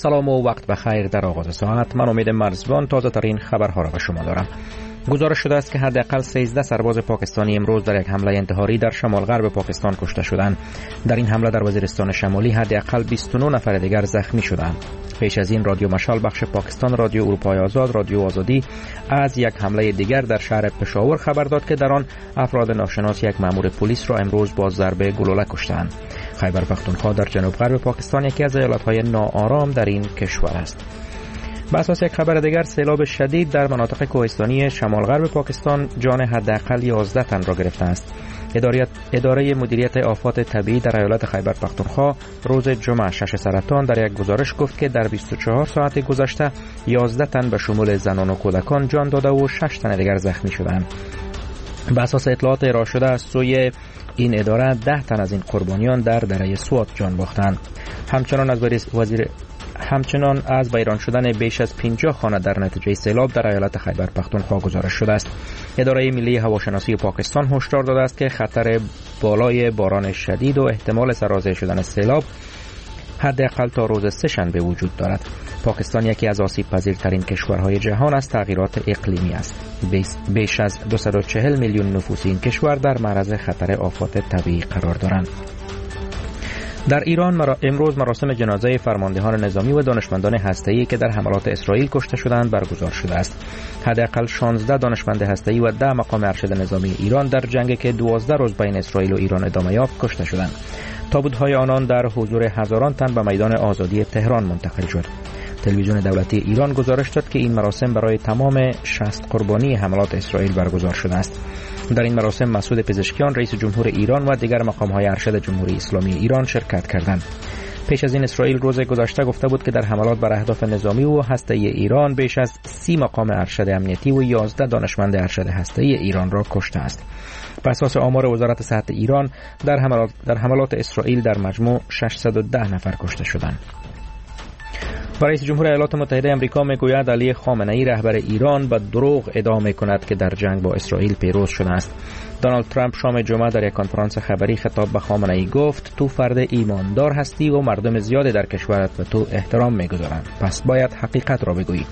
سلام و وقت بخیر. در آغاز ساعت من امید مرزبان تازه ترین خبرها را به شما دارم. گزارش شده است که حداقل 13 سرباز پاکستانی امروز در یک حمله انتحاری در شمال غرب پاکستان کشته شدند. در این حمله در وزیرستان شمالی حداقل 29 نفر دیگر زخمی شدند. پیش از این رادیو مشال بخش پاکستان، رادیو اروپای آزاد، رادیو آزادی از یک حمله دیگر در شهر پشاور خبر داد که در آن افراد ناشناس یک مأمور پلیس را امروز با ضربه گلوله کشتند. خیبر پختونخوا در جنوب غرب پاکستان یکی از ایالت‌های ناآرام در این کشور است. به اساس یک خبر دیگر، سیلاب شدید در مناطق کوهستانی شمال غرب پاکستان جان حداقل 11 تن را گرفته است. اداره مدیریت آفات طبیعی در ایالت خیبر پختونخوا روز جمعه 6 سرطان در یک گزارش گفت که در 24 ساعت گذشته 11 تن به شمول زنان و کودکان جان داده و 6 تن دیگر زخمی شدند. به اساس اطلاعات ارائه شده از سوی این اداره، 10 تن از این قربانیان در دره سوات جان باختند. همچنان از ویران شدن بیش از 50 خانه در نتیجه سیلاب در ایالت خیبر پختونخوا گزارش شده است. اداره ملی هواشناسی پاکستان هشدار داده است که خطر بالای باران شدید و احتمال سرازیر شدن سیلاب حداقل تا روز سه‌شنبه وجود دارد. پاکستان یکی از آسیب پذیرترین کشورهای جهان از تغییرات اقلیمی است. بیش از 240 میلیون نفوس این کشور در معرض خطر آفات طبیعی قرار دارند. در ایران امروز مراسم جنازه فرماندهان نظامی و دانشمندان هسته‌ای که در حملات اسرائیل کشته شدند برگزار شده است. حداقل 16 دانشمند هسته‌ای و 10 مقام ارشد نظامی ایران در جنگی که 12 روز بین اسرائیل و ایران ادامه یافت کشته شدند. تابوت‌های آنان در حضور هزاران تن به میدان آزادی تهران منتقل شد. تلویزیون دولتی ایران گزارش داد که این مراسم برای تمام 60 قربانی حملات اسرائیل برگزار شده است. در این مراسم مسعود پزشکیان رئیس جمهور ایران و دیگر مقام‌های ارشد جمهوری اسلامی ایران شرکت کردند. پیش از این اسرائیل روز گذشته گفته بود که در حملات بر اهداف نظامی و هسته‌ای ایران بیش از 30 مقام ارشد امنیتی و 11 دانشمند ارشد هسته‌ای ایران را کشته است. بر اساس آمار وزارت صحت ایران در حملات اسرائیل در مجموع 610 نفر کشته شدند. رئیس جمهور ایالات متحده آمریکا میگوید علی خامنه‌ای رهبر ایران به دروغ ادعا میکند که در جنگ با اسرائیل پیروز شده است. دونالد ترامپ شام جمعه در یک کنفرانس خبری خطاب به خامنه‌ای گفت تو فرد ایماندار هستی و مردم زیادی در کشورت به تو احترام میگذارند، پس باید حقیقت را بگویی.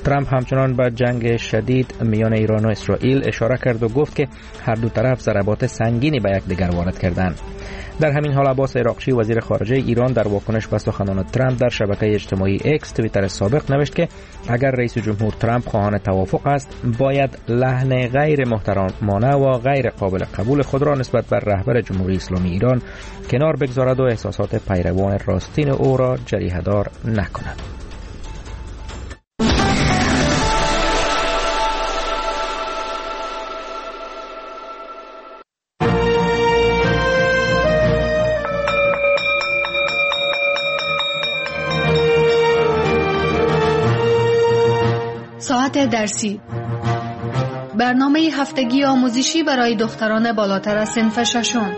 ترامپ همچنان به جنگ شدید میان ایران و اسرائیل اشاره کرد و گفت که هر دو طرف ضربات سنگینی به یکدیگر وارد کردند. در همین حال عباس عراقچی وزیر خارجه ایران در واکنش به سخنان ترامپ در شبکه اجتماعی اکس توییتر سابق نوشت که اگر رئیس جمهور ترامپ خواهان توافق است باید لحن غیر محترمانه و غیر قابل قبول خود را نسبت بر رهبر جمهوری اسلامی ایران کنار بگذارد و احساسات پیروان راستین او را جریحه‌دار نکند. ساعت درسی، برنامه هفتگی آموزشی برای دختران بالاتر از صنف ششم.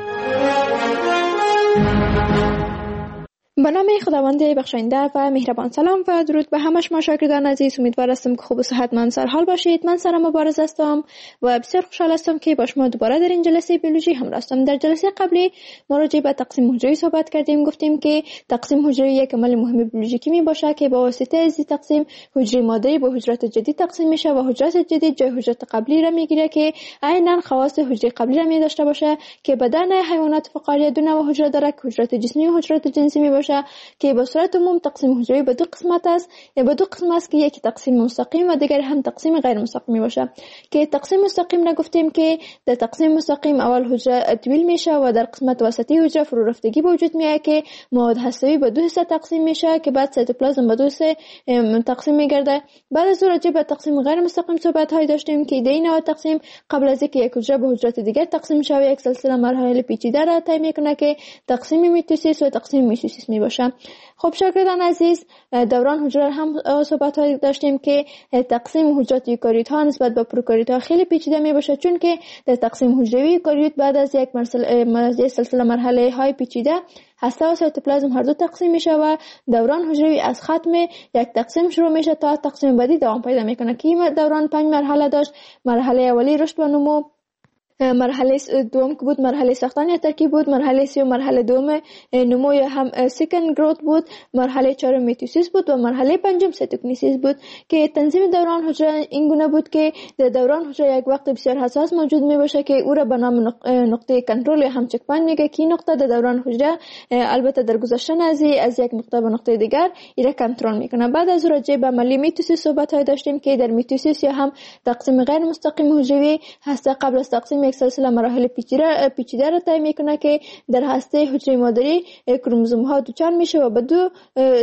به نام خداوند بخشاینده و مهربان. سلام و درود به همه شما شاگردان عزیز. امیدوار هستم که خوب و صحتمند سرحال باشید. من سارا مبارز هستم و بسیار خوشحال هستم که با شما دوباره در این جلسه بیولوژی همراه هستم. در جلسه قبلی ما راجع به تقسیم حجروی صحبت کردیم. گفتیم که تقسیم حجروی یک عمل مهم بیولوژیکی می باشه که با واسطه از تقسیم حجره مادری به حجرات جدید تقسیم میشه و حجرات جدید جای حجرات قبلی را میگیره که عینا خواص حجره قبلی را می داشته باشه که بدن حیوانات فقاریه دو نوع حجره داره که حجرات جسمی و حجرات جنسی می باشه که به صورت عموم تقسیم حجروی به دو قسمت است، به دو قسم است که یکی تقسیم مستقیم و دیگر هم تقسیم غیر مستقیم می باشه. که تقسیم مستقیم را گفتیم که در تقسیم مستقیم اول حجره طویل میشه و در قسمت وسطی حجره فرورفتگی به وجود میاد که مواد هستوی به دو حصه تقسیم میشه که بعد سایتوپلازم به دو حصه تقسیم میگرده. بعد از راجع به تقسیم غیر مستقیم صحبت های داشتیم که در این نوع تقسیم قبل از اینکه یک حجره به حجرات دیگر تقسیم شود یک سلسله مراحل پیچیده را طی میکنه که تقسیم میتوسیس و تقسیم میوسیس می باشه. خب شاگردان عزیز، دوران حجره هم صحبت های داشتیم که تقسیم حجرات یوکاریوت ها نسبت به پروکاریوت ها خیلی پیچیده می باشه، چون که در تقسیم حجروی یوکاریوت بعد از یک سلسله مرحله های پیچیده هسته و سایتوپلازم هر دو تقسیم میشه و دوران حجروی از ختم یک تقسیم شروع میشه تا تقسیم بعدی دوام پیدا میکنه که این دوران 5 مرحله داشت. مرحله اولی رشد و نمو، مرحله دوم که بود مرحله ساختن یا ترکیب بود، مرحله سوم مرحله دوم نمو یا هم second growth بود، مرحله چهارم میتوسیس بود و مرحله پنجم cytokinesis بود که تنظیم دوران حجره این گونه بود که در دوران حجره یک وقت بسیار حساس موجود می باشه که او را به نام نقطه کنترل یا هم check point میگه که این نقطه در دوران حجره البته در گذشتن از یک نقطه به نقطه دیگر ایره کنترل میکنه. بعد از راجع به عملی میتوسیس صحبت های داشتیم که در میتوسیس یا هم تقسیم غیر مستقیم حجروی هسته قبل از تقسیم یک سلسله مراحل پیچیده را طی میکنه که در هسته حجره مادری کروموزوم ها دوچند میشه و به دو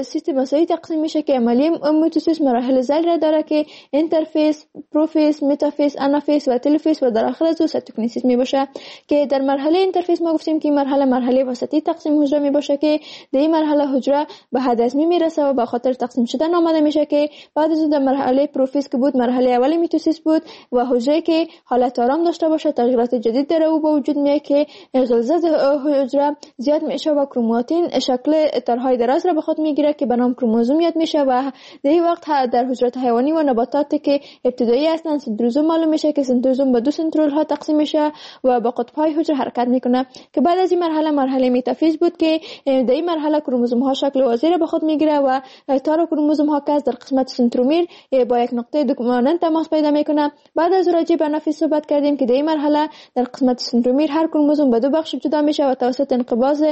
سیستم مساوی تقسیم میشه که عملی میتوسیس مراحل ذیل را داره که interphase، prophase، metaphase، anaphase و telophase و در آخر از او cytokinesis می باشه که در مرحله interphase ما گفتیم که مرحله مرحله وسطی تقسیم حجره می باشه که در این مرحله حجره به حد ازمی میرسه و به خاطر تقسیم شدن آماده میشه که بعد از در مرحله prophase که بود مرحله اول میتوسیس بود و حجره که حالت آرام داشته باشه تغییرات جدید در او به وجود میاد که غلظت حجره زیاد میشه و کروماتین شکل تارهای دراز را به خود میگیره که به نام کروموزوم یاد میشه و در این وقت در حجرات حیوانی و نباتات که ابتدایی هستند سنتروزوم معلوم میشه که سنتروزوم به دو سنترول ها تقسیم میشه و با قطب های حجره حرکت میکنه که بعد از این مرحله مرحله metaphase بود که در این مرحله کروموزوم ها شکل واضح را به خود میگیره و تار کروموزوم ها که در قسمت سنترومیر با یک نقطه دوگ مانند تماس پیدا میکنه. بعد از راجع به anaphase صحبت کردیم که در این مرحله در قسمت سنترومیر هر کروموزوم به دو بخش جدا میشه و توسط انقباض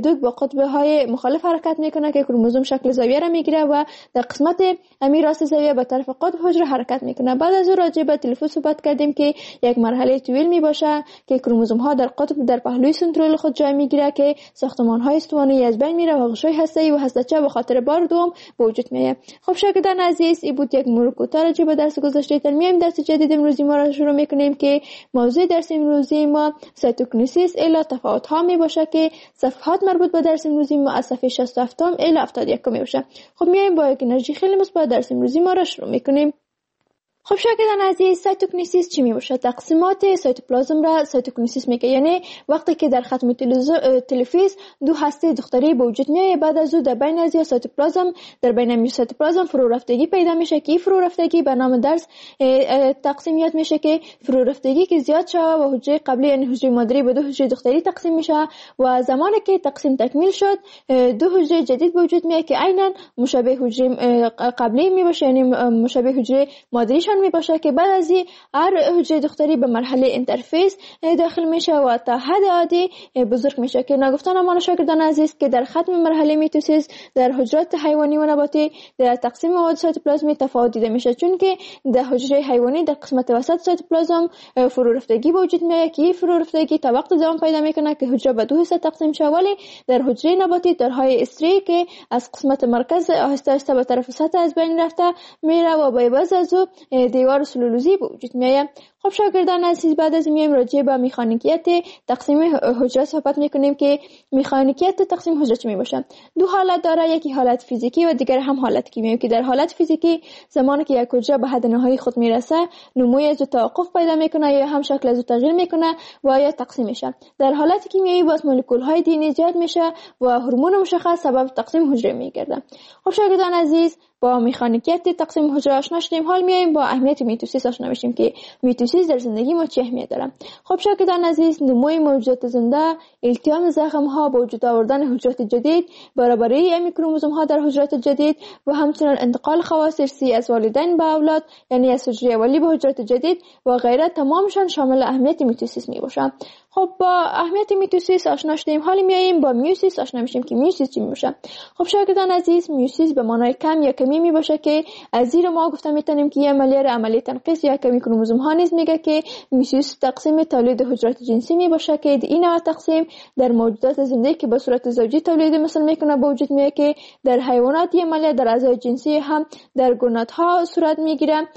دوگ با قطب های مخالف حرکت میکنه که کروموزوم شکل زاویه را میگیره و در قسمت امی راست زاویه به طرف قطب حجره حرکت میکنه. بعد از راجع به تلفوز صحبت کردیم که یک مرحله طویل میباشه که کروموزوم ها در قطب در پهلوی سنترول خود جای میگیره که ساختمان های استوانه‌ای از بین میره و غشای هسته‌ای و هسته‌چه به خاطر بار دوم به وجود میاد. خب شاگردان عزیز، این بود یک مرور کوتاه راجع به درس گذشته. تر میایم درس جدید امروزی ما را شروع میکنیم که موضوع درس امروزی ما cytokinesis الی تفاوت ها می باشه که صفحات مربوط به درس امروزی ما از صفحه 67 الی 71 می باشه. خب میایم با یک انرژی خیلی مثبت درس امروزی ما را شروع میکنیم. خب شاگردان عزیز، cytokinesis چی می باشد؟ تقسیمات سایتوپلازم را cytokinesis میگه، یعنی وقتی که در ختم telophase دو هسته دختری به وجود میآید، بعد از او در بین از سایتوپلازم در بین سایتوپلازم فرو رفتگی پیدا میشه که فرو رفتگی به نام درس تقسیم یاد میشه که فرو رفتگی که زیاد شوه و حجره قبلی یعنی حجره مادری به دو حجره دختری تقسیم میشه و زمانی که تقسیم تکمیل شد دو حجره جدید به وجود میآید که عینا مشابه حجره قبلی می باشه، یعنی مشابه حجره مادریشان می باشه که بعد از هر حجره دختری به مرحله interphase داخل میشه و تا حد عادی بزرگ میشه که نگفتن امان شاگردان عزیز که در ختم مرحله میتوسیس در حجرات حیوانی و نباتی در تقسیم مواد سایتوپلازمی تفاوت دیده میشه، چون که در حجره حیوانی در قسمت وسط سایتوپلازم فرو رفتگی به وجود میاد که فرو رفتگی تا وقت دوام پیدا میکنه که حجره به دو حصه تقسیم شه، ولی در حجره نباتی تارهای استری که از قسمت مرکز آهسته آهسته به طرف سطح از بین رفته میره و با بعض از او دیوار سلولوزی به وجود میآید. خب شاگردان عزیز، بعد از میایم راجع به میخانیکیت تقسیم حجره صحبت میکنیم که میخانیکیت تقسیم حجره چی میباشه. دو حالت داره، یکی حالت فیزیکی و دیگر هم حالت کیمیایی که در حالت فیزیکی زمانی که یک حجره به حد نهایی خود میرسه نموی از توقف پیدا میکنه یا هم شکل از تغییر میکنه و یا تقسیم میشه. در حالت کیمیایی باز مولکول های دی ان ایجاد میشه و هورمون مشخص سبب تقسیم حجره میگرده. خب شاگردان عزیز، با میخانیکیت تقسیم حجره آشنا شدیم، حال میایم با اهمیت میتوسیس آشنا میشیم که میتوسیس در زندگی ما چه اهمیت داره. خب شاگردان عزیز، نموی موجودات زنده، التیام زخم ها، با وجود آوردن حجرات جدید، برابری امی کروموزوم ها در حجرات جدید و همچنین انتقال خواص ارثی از والدین به اولاد، یعنی از حجره اولی به حجرات جدید و غیره، تمامشان شامل اهمیت میتوسیس می باشه. خب با اهمیت میتوسیس آشنا شدیم، حال میاییم با میوسیس آشنا میشیم که میوسیس چی میشه. خب شاگردان عزیز، میوسیس به معنای کم یا کمی میباشه که از زیر ما گفته میتونیم که یه عملیه را عملیه تنقیص یا کمی کروموزوم ها نیز میگه که میوسیس تقسیم تولید حجرات جنسی میباشه که این نوع تقسیم در موجودات زنده که به صورت زوجی تولید مثل میکنه به وجود میاد که در حیوانات یه عملیه در اعضای جنسی هم در گونات ها صورت میگیره.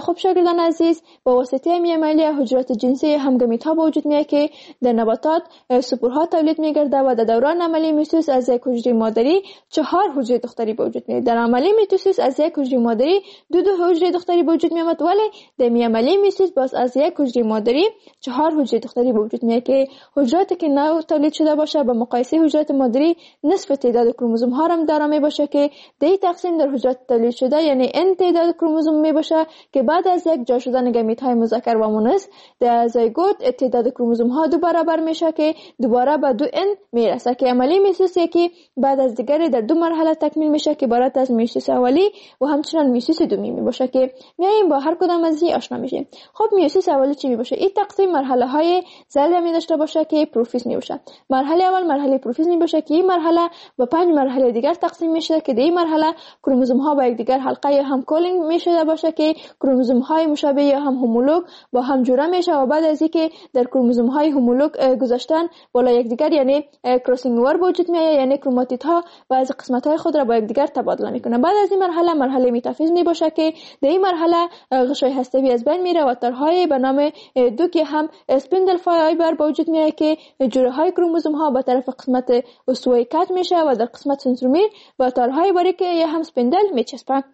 خب شاگردان عزیز، با واسطه این عملیه حجرات جنسی هم گمیت ها به وجود میاد که در نباتات سپورها تولید میگرده و در دوران عملی میوسیس از یک حجره مادری 4 حجره دختری به وجود میاد. در عملی میتوسیس از یک حجره مادری دو حجره دختری به وجود میآمد، ولی در عملی میوسیس باز از یک حجره مادری 4 حجره دختری به وجود میاد که حجراتی که نو تولید شده باشه با مقایسه حجرات مادری نصف تعداد کروموزوم ها را دارا می باشه که در تقسیم در حجرات تولید شده یعنی n تعداد کروموزوم می باشه که بعد از یک جا شدن گمیت های مذکر و مؤنث در زایگوت تعداد کروموزوم ها 2 برابر میشه که دوباره به 2n میرسه که عملی میوسیس یکی بعد از دیگری در 2 مرحله تکمیل میشه که عبارت از میوسیس اولی و همچنان میوسیس دومی می باشه که میایم با هر کدام از این آشنا میشیم. خب میوسیس اولی چی می باشه؟ این تقسیم مرحله های ذیل می داشته باشه که پروفیز می باشه. مرحله اول مرحله پروفیز می باشه که این مرحله با 5 مرحله دیگر تقسیم میشه که در این مرحله کروموزوم ها با یکدیگر حلقه یا هم coiling می شده باشه که کروموزوم های مشابه یا هم homolog با هم جوره میشه و بعد از اینکه در کروموزوم های homolog گذاشتن بالا یکدیگر یعنی crossing over وجود میآید، یعنی کروماتید ها و از قسمت های خود را با یکدیگر تبادله میکنه. بعد از این مرحله مرحله میتافیز می باشه که در این مرحله غشای هستوی از بین میره و تارهای به نام دو که هم spindle fiber به وجود میآید که جوره های کروموزوم ها به طرف قسمت استوایی کج میشه و در قسمت سنترومیر با تارهای باریک یا هم spindle میچسبه.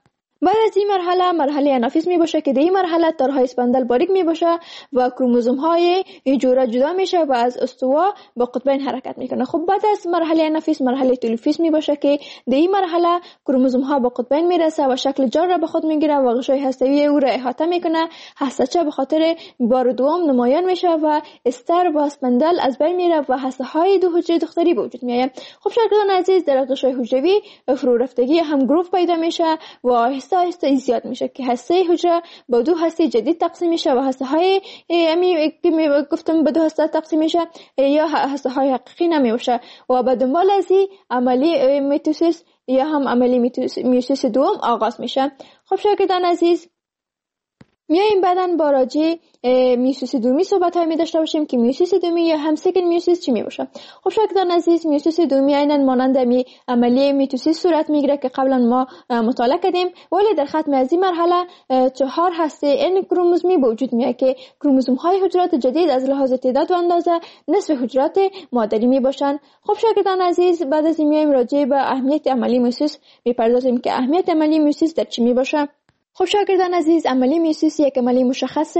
بعد از این مرحله مرحله انافیز می باشه که در این مرحله تارهای spindle باریک می باشه و کروموزوم های جوره جدا میشه و از استوا با قطبین حرکت میکنه. خب بعد از مرحله انافیز مرحله تلوفیز می باشه که در این مرحله کروموزوم ها با قطبین میرسه و شکل جار را به خود میگیره و غشای هستوی او را احاطه میکنه. هسته‌چه به خاطر بار دوم نمایان میشه و استر و spindle از بین میره و هسته های دو حجره دختری به وجود میآید. خب شاگردان عزیز، در غشای حجروی فرو رفتگی هم groove پیدا میشه و آهسته آهسته زیاد میشه که هسته حجره با 2 هسته جدید تقسیم میشه و هسته های امی که گفتم به 2 هسته تقسیم میشه یا هسته های حقیقی نمیشه و به دنبال از این عملی میتوسیس یا هم عملی میوسیس دوم آغاز میشه. خب شاگردان عزیز، میایم بعداً با راجع میوسیس دومی صحبت های می داشته باشیم که میوسیس دومی یا هم second meiosis چی می باشه. خب شاگردان عزیز، میوسیس دومی عیناً مانند عملیه میتوسیس صورت میگیره که قبلا ما مطالعه کردیم، ولی در ختم از این مرحله 4 هسته n کروموزومی به وجود میاد که کروموزوم های حجرات جدید از لحاظ تعداد و اندازه نصف حجرات مادری می باشند. خب شاگردان عزیز، بعد از این میایم راجع به اهمیت عملی میوسیس میپردازیم که اهمیت عملی میوسیس در چی می باشه. خب شاگردان عزیز، عملی میوسیس یک عملی مشخص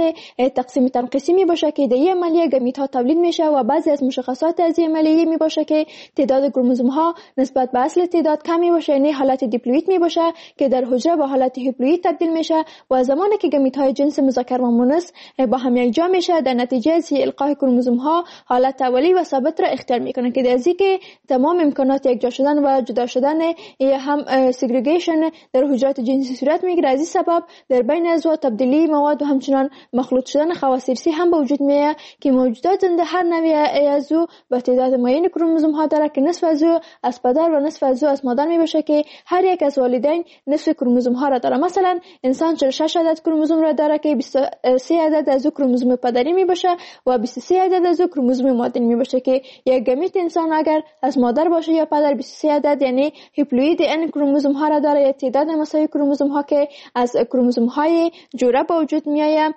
تقسیم تنقیصی می باشه که در این عملیه گمیت ها تولید میشه و بعضی از مشخصات از این عملیه می باشه که تعداد کروموزوم ها نسبت به اصل تعداد کم می باشه، یعنی حالت دیپلوئید می باشه که در حجره به حالت هیپلوئید تبدیل میشه و زمانی که گمیت های جنس مذکر و مؤنث با هم یکجا میشه در نتیجه از القاح کروموزوم ها حالت اولی و ثابت را اختیار میکنه که در که تمام امکانات یکجا شدن و جدا شدن یا هم segregation در حجرات جنسی صورت میگیره. از این در بین ازوا تبدیلی مواد و همچنان مخلوط شدن خواص ارثی هم به وجود میاد که موجودات زنده هر نوع از او به تعداد معین کروموزوم ها داره که نصف از او از پدر و نصف از او از مادر می باشه که هر یک از والدین نصف کروموزوم ها را داره. مثلا انسان 46 عدد کروموزوم را داره که 23 عدد از او کروموزوم پدری می باشه و 23 عدد از او کروموزوم مادری می باشه که یک گمیت انسان اگر از مادر باشه یا پدر 23 عدد یعنی هیپلوئید n کروموزوم ها را داره یا تعداد مساوی کروموزوم ها که از کروموزوم های جوره با وجود میآید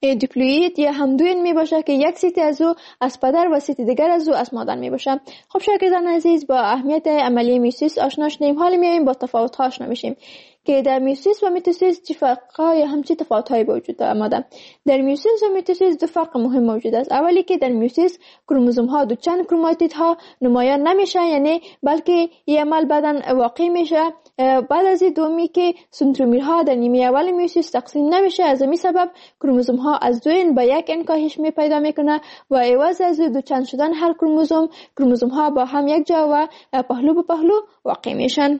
دیپلوئید یا هم دو n می باشه که یک ست از او از پدر و ست دیگر از او از مادر می باشه. خب شاگردان عزیز، با اهمیت عملی میوسیس آشنا شدیم. حالا میایم با تفاوت ها آشنا میشیم که در میوسیس و میتوسیس چه فرق‌ها یا هم چه تفاوت‌هایی به وجود آمده. در میوسیس و میتوسیس دو فرق مهم موجود است. اولی که در میوسیس کروموزوم ها دو چند کروماتید ها نمایان نمیشن، یعنی بلکه این عمل بعداً واقع میشه. بعد از این دومی که سنترومیرها در نیمه اول میوسیس تقسیم نمیشه، از این سبب کروموزوم ها از 2 n به 1 n کاهش می پیدا میکنه و عوض از دو چند شدن هر کروموزوم، کروموزوم ها با هم یک جا و پهلو به پهلو واقع میشن.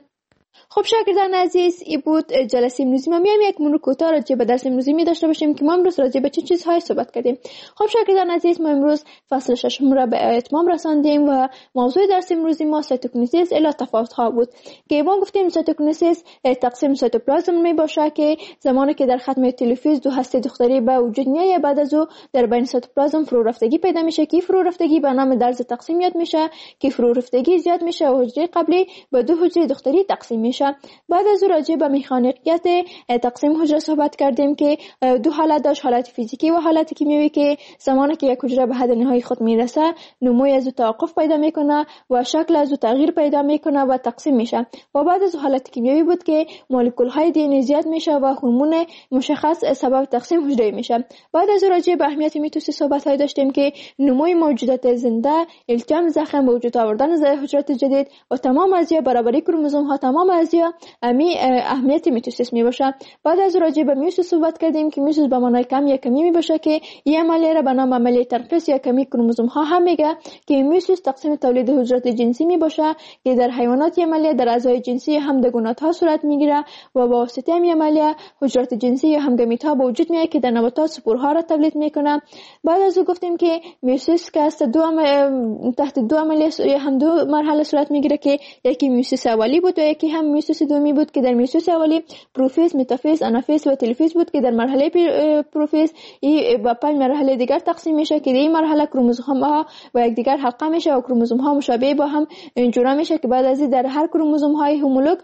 خب شاگردان عزیز، ای بود جلسه امروزی ما. میایم یک مرور کوتاه راجع به درس امروزی می داشته باشیم که ما امروز راجع به چه چیزهایی صحبت کردیم. خب شاگردان عزیز، ما امروز فصل ششم را به اتمام رساندیم و موضوع درس امروزی ما cytokinesis الی تفاوت ها بود که ما گفتیم cytokinesis تقسیم سایتوپلازم می باشه که زمانی که در ختم تلوفیز دو هسته دختری به وجود میآید، بعد از او در بین سایتوپلازم فرو رفتگی پیدا میشه که فرو رفتگی به نام درز تقسیم یاد میشه که فرو رفتگی زیاد میشه و حجره قبلی به دو حجره دختری تقسیم میشه. بعد از راجع به مکانیکیت تقسیم حجره صحبت کردیم که دو حالت داشت، حالت فیزیکی و حالت کیمیایی، که زمانی که یک حجره به حد نهایی خود میرسه نموی از او توقف پیدا میکنه و شکل از او تغییر پیدا میکنه و تقسیم میشه. و بعد از حالت کیمیایی بود که مولکول های دی ان زیاد میشه و هورمون مشخص سبب تقسیم حجره میشه. بعد از راجع به اهمیت میتوسیس صحبت های داشتیم که نموی موجودات زنده، التیام زخم، به وجود آوردن حجرات جدید و تمام ازیا برابری کروموزوم ها، تمام ازیا امی اهمیت میتوسیس می باشه. بعد از راجع به میوسیس صحبت کردیم که میوسیس به معنای کم یا کمی می باشه که این عملیه را به نام عملیه تنقیص یا کمی کروموزوم ها هم میگه که میوسیس تقسیم تولید حجرات جنسی می باشه که در حیوانات عملیه در اعضای جنسی هم در گونات ها صورت میگیره و با واسطه این عملیه حجرات جنسی یا هم گمیت ها به وجود میاد که در نباتات سپورها را تولید میکنه. بعد از او گفتیم که میوسیس که است تحت دو عملیه یا هم دو مرحله صورت میگیره که یکی میوسیس اولی بود و یکی هم میوسیس دومی بود که در میوسیس اولی پروفیز، متافیز، انافیز و تلوفیز بود که در مرحله پروفیز با 5 مرحله دیگر تقسیم میشه که در این مرحله کروموزوم ها و یکدیگر حلقه میشه و کروموزوم ها مشابه با هم جورا میشه که بعد از این در هر کروموزوم های homolog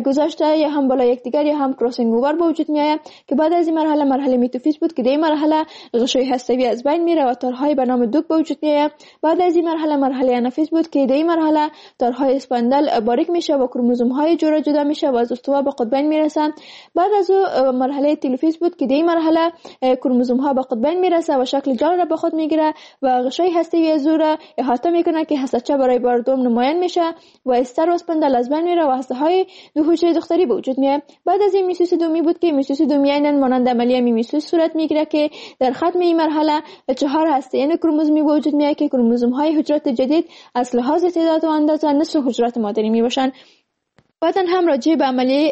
گذاشته یا هم بالا یکدیگر یا هم crossing over به وجود میآید که بعد از این مرحله مرحله میتوفیز بود که در این مرحله غشای هستوی از بین میره و تارهای به نام دوک به وجود میآید. بعد از این مرحله مرحله انافیز بود که در این مرحله تارهای spindle باریک میشه و کروموزوم های جورا جدا میشه و از استوا به قطبین میرسن. بعد از او مرحله تلوفیز بود که در این مرحله کروموزوم ها به قطبین میرسه و شکل جال را به خود میگیره و غشای هستوی از او را احاطه میکنه که هسته‌چه برای بار دوم نمایان میشه و استر و spindle از بین میره و هسته های دو حجره دختری به وجود میاد. بعد از این میوسیس دومی بود که میوسیس دومی عیناً مانند عملیه میوسیس صورت میگیره که در ختم این مرحله 4 هسته یعنی کروموزومی به وجود میاد که کروموزوم های حجرات جدید از لحاظ تعداد و اندازه نصف حجرات مادری میباشند. بعداً هم راجع به عملیه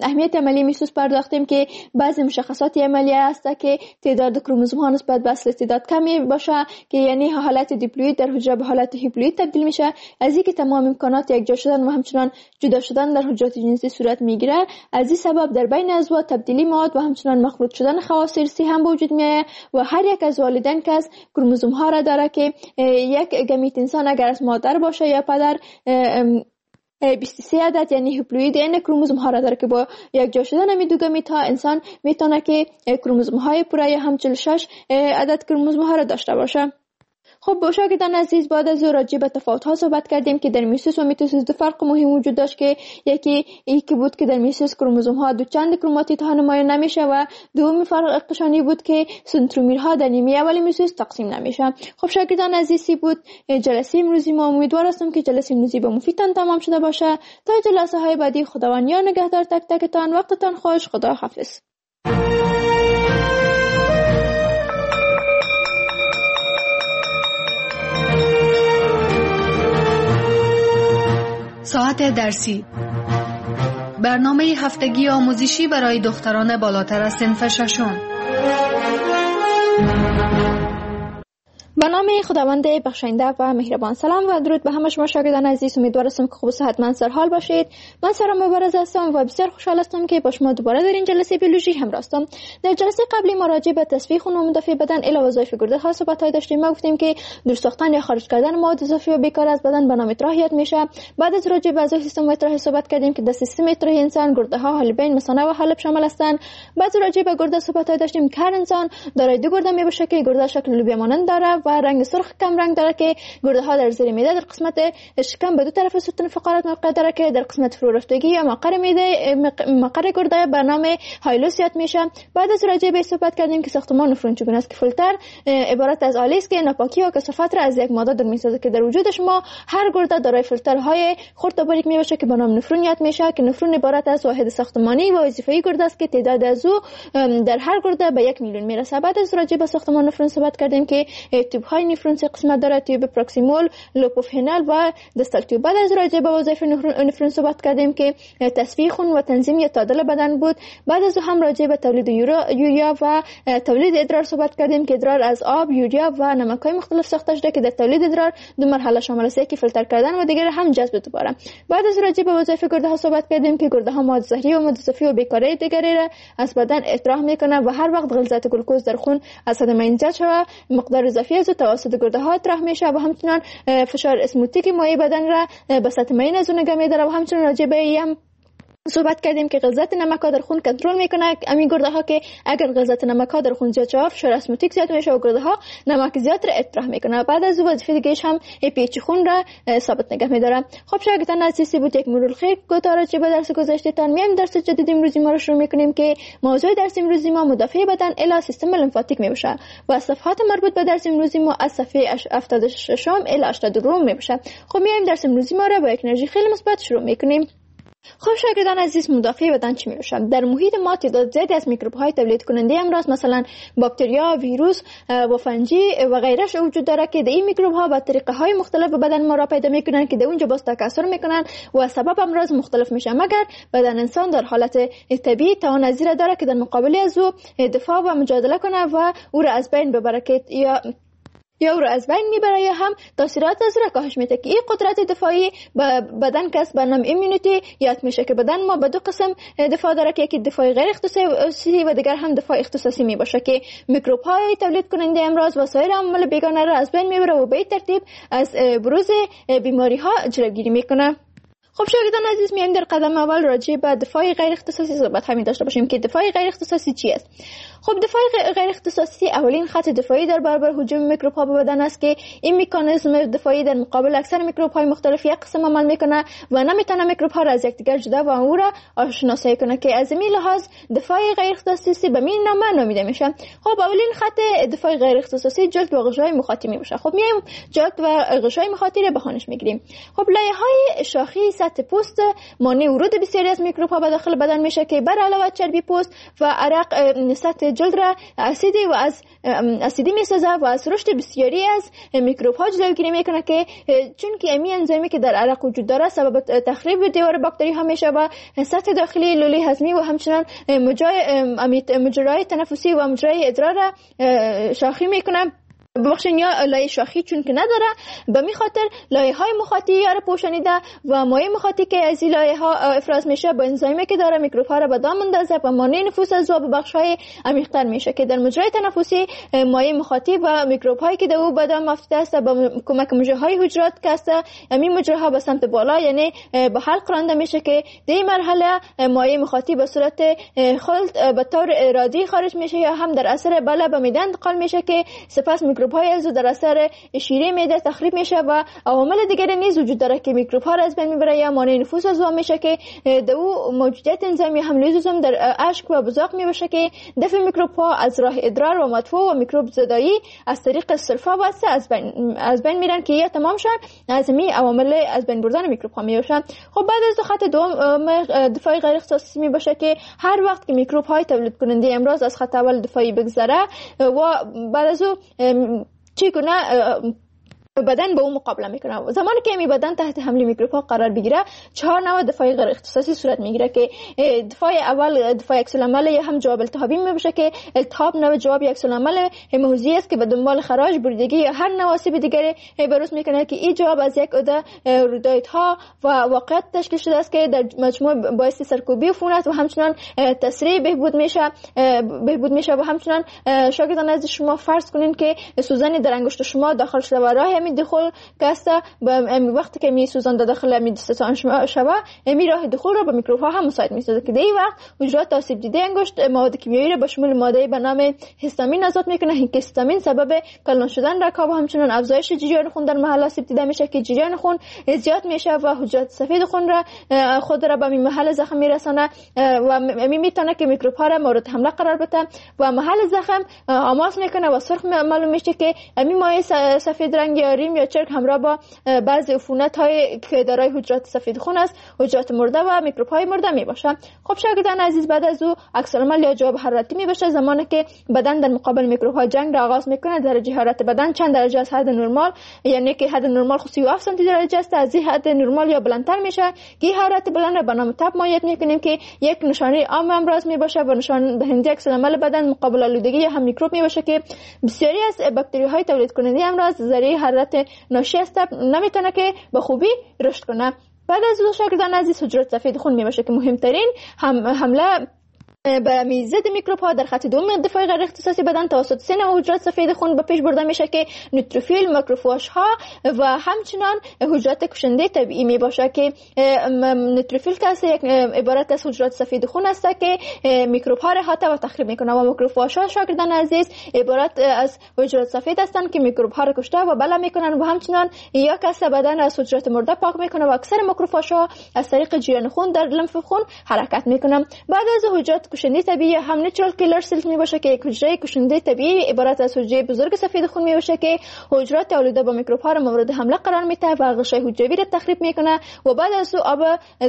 اهمیت عملیه میوسیس پرداختیم که بعضی مشخصات عملیه است که تعداد کروموزوم ها نسبت به اصل تعداد کمی باشه که یعنی حالت دیپلوید در حجره به حالت هیپلوید تبدیل میشه، از اینکه تمام امکانات یکجا شدن و همچنان جدا شدن در حجرات جنسی صورت میگیره. از این سبب در بین ازواج تبدیلی مواد و همچنان مخلوط شدن خواص ارثی هم به وجود میآید و هر یک از والدین که از کروموزوم ها را داره که یک گمیت انسان اگر از مادر باشه یا پدر 23 عدد یعنی هپلوید این کروموزوم ها را داره که با یک جا شدن می دو گمیت ها انسان میتونه که کروموزوم های پوره یا هم 46 عدد کروموزوم ها را داشته باشه. خب شاگردان عزیز، بعد از راجع به تفاوت ها صحبت کردیم که در میوسیس و میتوسیس دو فرق مهم وجود داشت که یکی بود که در میوسیس کروموزوم ها دو چند کروماتید ها نمایان نمیشه و دومی فرق قشانی بود که سنترومیر ها در نیمه اول میوسیس تقسیم نمیشه. خب شاگردان عزیز، بود جلسه امروزی ما. امیدوار هستم که جلسه امروزی به مفیدتان تمام شده باشه. تا جلسه های بعدی خداوند یار نگهدار تک تکتان. وقتتان خوش. خدا حافظ. ساعت درسی، برنامه هفتگی آموزشی برای دختران بالاتر از صنف ششم. به نام خداوند بخشنده و مهربان. سلام و درود به همه شما شاگردان عزیز. امیدوارم که خوب و صحتمند سرحال باشید. من سارا مبارز هستم و بسیار خوشحال هستم که با شما دوباره در این جلسه بیولوژی همراه هستم. در جلسه قبلی ما راجع به تصفیه خون و مدافع بدن الی وظایف گرده ها صحبت های داشتیم. ما گفتیم که دور ساختن یا خارج کردن مواد اضافی و بیکار از بدن به نام اطراح یاد میشه. بعد از راجع به اعضای سیستم اطراح صحبت کردیم که در سیستم اطراح انسان گرده ها، حالبین، مثانه و حالب شامل هستند. بعد راجع به گرده صحبت های داشتیم که هر انسان دارای دو گرده می باشه که گرده شکل لوبیا مانند داره و رنگ سرخ کم رنگ داره که گرده ها در زیر معده در قسمت شکم به دو طرف ستون فقرات موقع داره که در قسمت فرو رفتگی یا مقر معده مقر گرده به نام هایلوس یاد میشه. بعد از راجع به صحبت کردیم که ساختمان نفرون چگونه است که فیلتر عبارت از آلی است که ناپاکی و کثافت را از یک ماده دور میسازه که در وجود شما هر گرده دارای فیلترهای خرد و باریک میباشه که به نام نفرون یاد میشه که نفرون عبارت از واحد ساختمانی و وظیفه‌ای گرده است که تعداد از او در هر گرده به 1 میلیون میرسه. بعد از راجع به ساختمان نفرون صحبت کردیم که تیوب های نفرون سه قسمت داره: تیوب proximal، loop of Henle و distal tube. بعد از راجع به وظایف نفرون صحبت کردیم که تصفیه خون و تنظیم یا تعادل بدن بود. بعد از هم راجع به تولید یوریا و تولید ادرار صحبت کردیم که ادرار از آب، یوریا و نمک های مختلف ساخته شده که در تولید ادرار دو مرحله شامل است: یکی فیلتر کردن و دیگر هم جذب دوباره. بعد از راجع به وظایف گرده ها صحبت کردیم که گرده ها مواد زهری و مواد اضافی و بیکاری دیگری را از بدن اطراح میکنه و هر وقت غلظت گلوکوز در خون از حد معین زیاد شود مقدار اضافی از توسط گرده ها اطراح میشه و همچنان فشار اسموتیک مایع بدن را به سطح معین از اون نگه میداره و همچنان راجع به صحبت کردیم که غلظت نمک ها در خون کنترل میکنه. همین گرده ها که اگر غلظت نمک ها در خون زیاد شود، فشار اسموتیک زیاد میشه و گرده ها نمک زیاد را اطراح میکنه. بعد از او وظیفه دیگه هم pH خون را ثابت نگه میداره. خب شاگردان عزیز، بود یک مرور خیر کوتاه راجع به درس گذشته تان. میایم درس جدید امروزی ما رو شروع میکنیم که موضوع درس امروزی ما مدافع بدن الی سیستم لنفاتیک میباشه و صفحات مربوط به درس امروزی ما از صفحه 76 الی 82 میباشه. خب میایم درس امروزی ما را با یک انرژی خیلی مثبت شروع میکنیم. خب شاگردان عزیز، مدافع بدن چی میباشد؟ در محیط ما تعداد زیادی از میکروب های تولید کننده امراض مثلا باکتریا، ویروس و فنجی و غیره وجود داره که در این میکروب ها با طریقه های مختلف به بدن ما را پیدا میکنن که در اونجا باز تکثر میکنن و سبب امراض مختلف میشه. مگر بدن انسان در حالت طبیعی توان از داره که در مقابل از او دفاع و مجادله کنه و او را از بین ببره که یا او را از بین میبره یا هم تاثیرات از را کاهش میده که این قدرت دفاعی به بدن کس به نام immunity یاد میشه که بدن ما به دو قسم دفاع داره که یکی دفاع غیر اختصاصی و دیگر هم دفاع اختصاصی میباشه که میکروب های تولید کننده امراض و سایر عوامل بیگانه را از بین میبره و به ترتیب از بروز بیماری ها جلوگیری میکنه. خب شاگردان عزیز، میایم در قدم اول راجع به دفاع غیر اختصاصی صحبت همین داشته باشیم که دفاع غیر اختصاصی چی است. خب دفاع غیر اختصاصی اولین خط دفاعی در برابر هجوم میکروب ها به بدن است که این مکانیزم دفاعی در مقابل اکثر میکروب های مختلف یک قسم عمل میکنه و نمیتونه میکروب ها را از یکدیگر جدا و او را شناسایی کنه که از این لحاظ دفاع غیر اختصاصی به این نام نامیده میشه. خب اولین خط دفاع غیر اختصاصی جلد و غشای مخاطی میباشه. خب میایم جلد و غشای مخاطی را به خوانش میگیریم. خب لایه های شاخی سطح پوست مانع ورود بسیاری از میکروب ها به داخل بدن میشه که بر علاوه چربی پوست و عرق سطح جلد را اسیدی و از اسیدی میسازه و از رشد بسیاری از میکروب ها جلوگیری میکنه که چون که امی انزیمی که در عرق وجود داره سبب تخریب دیوار باکتری ها میشه و سطح داخلی لوله هضمی و همچنان مجرای تنفسی و مجرای ادرار را شاخی میکنه. ببخشین یا لایه شاخی چون که نداره به می خاطر لایه های مخاطی یا را پوشانیده و مایع مخاطی که از این لایه ها افراز میشه با انزایمی که داره میکروب ها را به دام اندازه و مانع نفوذ از او به بخش های عمیق تر میشه که در مجرای تنفسی مایع مخاطی و میکروب هایی که در او به دام افتاده است با کمک مجره های حجرات که است همین مجره ها به سمت بالا یعنی به حلق رانده میشه که در این مرحله مایع مخاطی به صورت خلط به طور ارادی خارج میشه یا هم در اثر بله به معده انتقال میشه که سپس میکروب های از در اثر شیره معده تخریب میشه و عوامل دیگر نیز وجود داره که میکروب ها را از بین میبره یا مانع نفوذ از او میشه که در او موجودیت انزیم یا هم لیزوزوم در اشک و بزاق میباشه که دفع میکروب ها از راه ادرار و مدفوع و میکروب زدایی از طریق سلفا و از بین میرن که یا تمام شن از می عوامل از بین بردن میکروب ها میباشن. خب بعد از دو خط دوم دفاع غیر اختصاصی میباشه که هر وقت که میکروب های تولید کننده امراض از خط اول دفاعی بگذره و بعد از او چگونه بدن با او مقابله میکنه. زمانی که می بدن تحت حمله میکروب ها قرار بگیره چهار نوع دفاع غیر اختصاصی صورت میگیره که دفاع اول دفاع عکس العمل یا هم جواب التهابی میباشه که التهاب نوع جواب عکس العمل موضعی است که به دنبال خراش، بریدگی یا هر نوع آسیب دیگری بروز میکنه که این جواب از یک عده رودایت ها و واقعیت تشکیل شده است که در مجموع باعث سرکوبی عفونت و همچنان تسریع بهبود میشه و همچنان شاگردان از شما فرض کنین که سوزن در انگشت شما داخل شده و راه دخول کاستا وقتی که می سوزان داخل می دستان شما شوه می راه دخول را به میکروب ها هم مساعد میسازه که در این وقت حجرات آسیب دیده انگشت مواد کیمیایی را به شمول ماده به نام هیستامین آزاد میکنه که هیستامین سبب کلان شدن رگ‌ها و همچنان افزایش جریان خون در محل آسیب دیده میشه که جریان خون زیاد میشه و حجرات سفید خون را خود را به محل زخم میرسانه و می میتونه که میکروب ها را مورد حمله قرار بده و محل زخم آماس میکنه و سرخ معلوم میشه که می مایع سفید رنگ یا ریم یا چرک همراه با بعضی عفونت های که دارای حجرات سفید خون است، حجرات مرده و میکروب های مرده می باشه. خب شاگردان عزیز، بعد از او عکس العمل یا جواب حرارتی می باشه. زمانی که بدن در مقابل میکروب ها جنگ را آغاز میکنه درجه حرارت بدن چند درجه از حد نرمال، یعنی که حد نرمال خو 37 سانتی درجه است، از این حد نرمال یا بلندتر میشه که حرارت بلند را به نام تب مایت میکنیم که یک نشانه عام امراض می باشه و نشان دهنده عکس العمل بدن مقابل آلودگی یا هم میکروب می باشه که بسیاری از باکتری های تولید کننده امراض ذریعه حرارت ناشی از تب نمیتونه که به خوبی رشد کنه. بعد از او شاگردان عزیز حجرات سفید خون می باشه که مهمترین حمله به ضد میکروب ها در خط دوم دفاع غیر اختصاصی بدن توسط سه نوع حجرات سفید خون به پیش برده میشه که نوتروفیل، ماکروفاژ ها و همچنان حجرات کشنده طبیعی می باشه که نوتروفیل که یک عبارت از حجرات سفید خون است که میکروب ها را حتی و تخریب میکنه و ماکروفاژ ها شاگردان عزیز عبارت از حجرات سفید هستند که میکروب ها را کشته و بلا میکنن و همچنان یا کس بدن از حجرات مرده پاک میکنه و اکثر ماکروفاژ ها از طریق جریان خون در لنف خون حرکت میکنن. بعد از حجرات کشنده طبیعی هم natural killer cells می باشه که یک حجره کشنده طبیعی عبارت از حجره بزرگ سفید خون می باشه که حجرات آلوده با میکروب ها را مورد حمله قرار میده و غشای حجروی را تخریب میکنه و بعد از او آب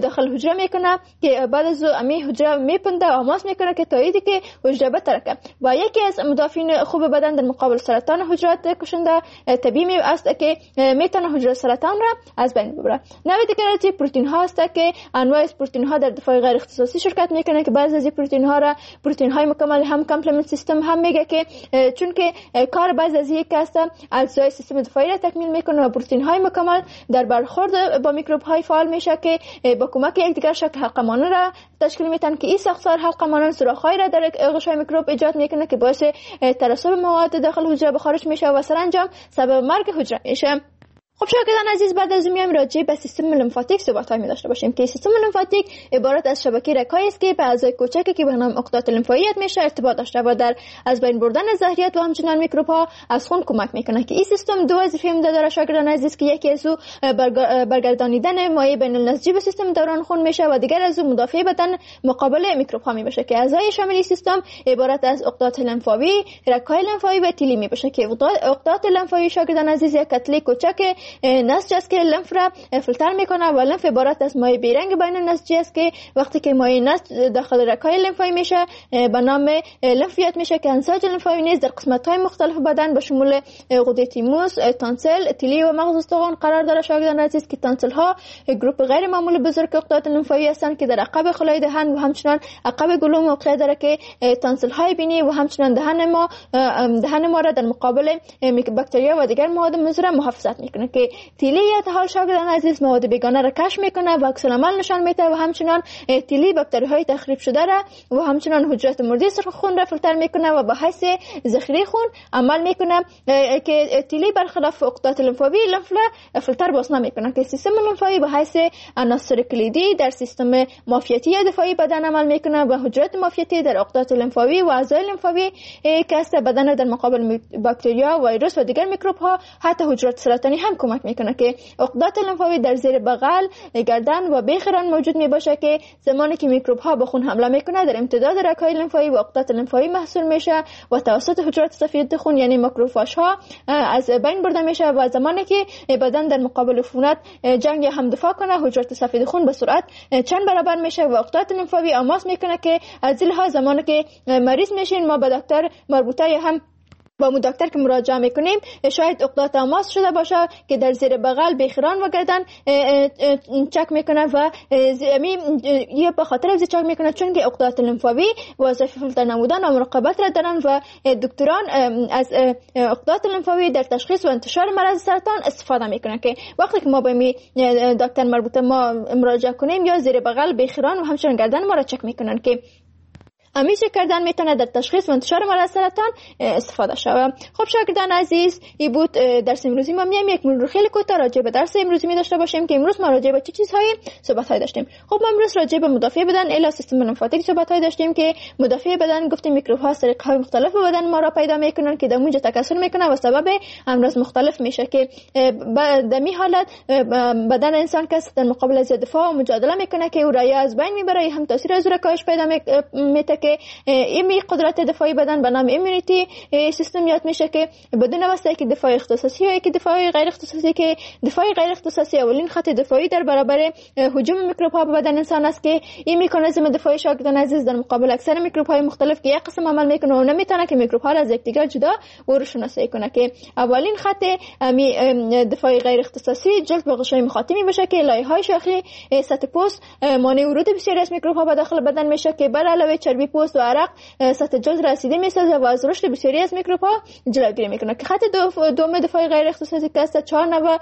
داخل حجره میکنه که بعد از او امی حجره میپنده و آماس میکنه که تایید که حجره بترکه. و یکی از مدافعین خوب بدن در مقابل سرطان حجرات کشنده طبیعی می است که میتونه حجره سرطان را از بین ببره. نوع دیگر از پروتئین ها است که انواع پروتئین ها در دفاع غیر اختصاصی شرکت میکنه که بعضی از پروتئین ها را پروتئین های مکمل هم complement system هم میگه که چون که کار بعضی از یک است اجزای سیستم دفاعی را تکمیل میکنه و پروتئین های مکمل در برخورد با میکروب های فعال میشه که با کمک یکدیگر شکل حلقه مانند را تشکیل میتن که این ساختار حلقه مانند سوراخ‌های را در غشای میکروب ایجاد میکنه که باعث ترسب مواد داخل حجره به خارج میشه و سرانجام سبب مرگ حجره میشه. خب شاگردان عزیز، بعد از میایم راجع به سیستم لنفاتیک صحبت می داشته باشیم که سیستم لنفاتیک عبارت از شبکه رگ‌هایی است که به اعضای کوچکی که به نام عقدات لنفایی میشه ارتباط داشته و در از بین بردن زهریات و همچنان میکروب ها از خون کمک میکنه که این سیستم دو وظیفه عمده داره شاگردان عزیز که یکی از او برگردانیدن مایع بین النسجی به سیستم دوران خون میشه و دیگر از او مدافع بدن مقابل میکروب ها میشه که اعضای شامل سیستم عبارت از عقدات لنفاوی، رگ‌های لنفاوی و تیلی میشه که عقدات لنفاوی شاگردان عزیز یک کتله کوچک نسج است که لنف را فیلتر میکنه و لنف عبارت از مایع بیرنگ بین نسجی است که وقتی که مایع نسج داخل رگ‌های لنفایی میشه به نام لنف یاد میشه که انساج لنفایی نیز در قسمت‌های مختلف بدن به شمول غده تیموس، تانسل، تیلی و مغز استخوان قرار داره شاگردان عزیز که تانسل ها گروپ غیر معمول بزرگ عقدات لنفایی هستند که در عقب خلای دهن و همچنان عقب گلو موقع داره که تانسل های بینی و همچنان دهن ما را در مقابل باکتریا و دیگر مواد مضر محافظت میکنه که تیلی یا حال شاگردان عزیز مواد بیگانه را کشف میکنه و عکس العمل نشان میده و همچنان تیلی باکتری های تخریب شده را و همچنان حجرات مرده سرخ خون را فیلتر میکنه و به حیث ذخیره خون عمل میکنه که تیلی برخلاف عقدات لنفاوی لنف را فیلتر باز نمیکنه که سیستم لنفاوی به حیث عناصر کلیدی در سیستم معافیتی یا دفاعی بدن عمل میکنه و حجرات معافیتی در عقدات لنفاوی و اعضای لنفاوی که است بدن در مقابل باکتریا، ویروس و دیگر میکروب ها حتی حجرات سرطانی هم کمک میکنه که عقدات لنفاوی در زیر بغل، گردن و بیخ ران موجود می باشه که زمانی که میکروب ها به خون حمله میکنه در امتداد رگ‌های لنفاوی و عقدات لنفاوی محصول میشه و توسط حجرات سفید خون یعنی ماکروفاژ ها از بین برده میشه و زمانی که بدن در مقابل عفونت جنگ یا هم دفاع کنه حجرات سفید خون به سرعت چند برابر میشه و عقدات لنفاوی آماس میکنه که از این لحاظ زمانی که مریض میشین ما به دکتر مربوطه یا هم با مو دکتر که مراجعه میکنیم شاید عقدات آماس شده باشه که در زیر بغل، بیخران و گردن چک میکنه و یه به خاطر از چک میکنه چون که عقدات لنفاوی وظیفه فیلتر نمودن و مراقبت را دارن و دکتران از عقدات لنفاوی در تشخیص و انتشار مرض سرطان استفاده میکنه که وقتی که ما به می دکتر مربوطه ما مراجعه کنیم یا زیر بغل، بیخران و همچنین گردن ما را چک میکنن که امی چک کردن میتونه در تشخیص و انتشار مرض سرطان استفاده شود. خب شاگردان عزیز، این بود درس امروزی ما. میایم یک مرور خیلی کوتاه راجع به درس امروزی می داشته باشیم که امروز ما راجع به چه چیزهایی صحبت های داشتیم. خب ما امروز راجع به مدافع بدن الی سیستم لنفاتیک صحبت های داشتیم که مدافع بدن گفتیم میکروب ها از طریق های مختلف بدن ما را پیدا میکنن که در اونجا تکثر میکنن و سبب امراض مختلف میشه که در می حالت بدن انسان کس در مقابل از دفاع و مجادله میکنه که او را از بین میبره، هم تاثیر از او را کاهش پیدا میته که ایمی قدرت دفاعی بدن به نام immunity system یاد میشه که بدون واسطه که دفاع اختصاصی یا که دفاع غیر اختصاصی که دفاع غیر اختصاصی اولین خط دفاعی در برابر هجوم میکروب ها به بدن انسان است که این مکانیزم دفاعی شاگردان عزیز در مقابل اکثر میکروب های مختلف که یک قسم عمل میکنه و نمیتونه که میکروب ها را از یکدیگر جدا و شناسایی کنه که اولین خط دفاع غیر اختصاصی جلد و غشای مخاطی میباشه که لایه های شاخی سطح پوست مانع ورود بسیاری از میکروب ها به داخل بدن میشه که بر علاوه چربی پوست و عرق سطح جلد را اسیدی میسازه و از رشد بسیاری از میکروب ها جلوگیری میکنه. که خط دوم دفاع غیر اختصاصی که است 4 نوع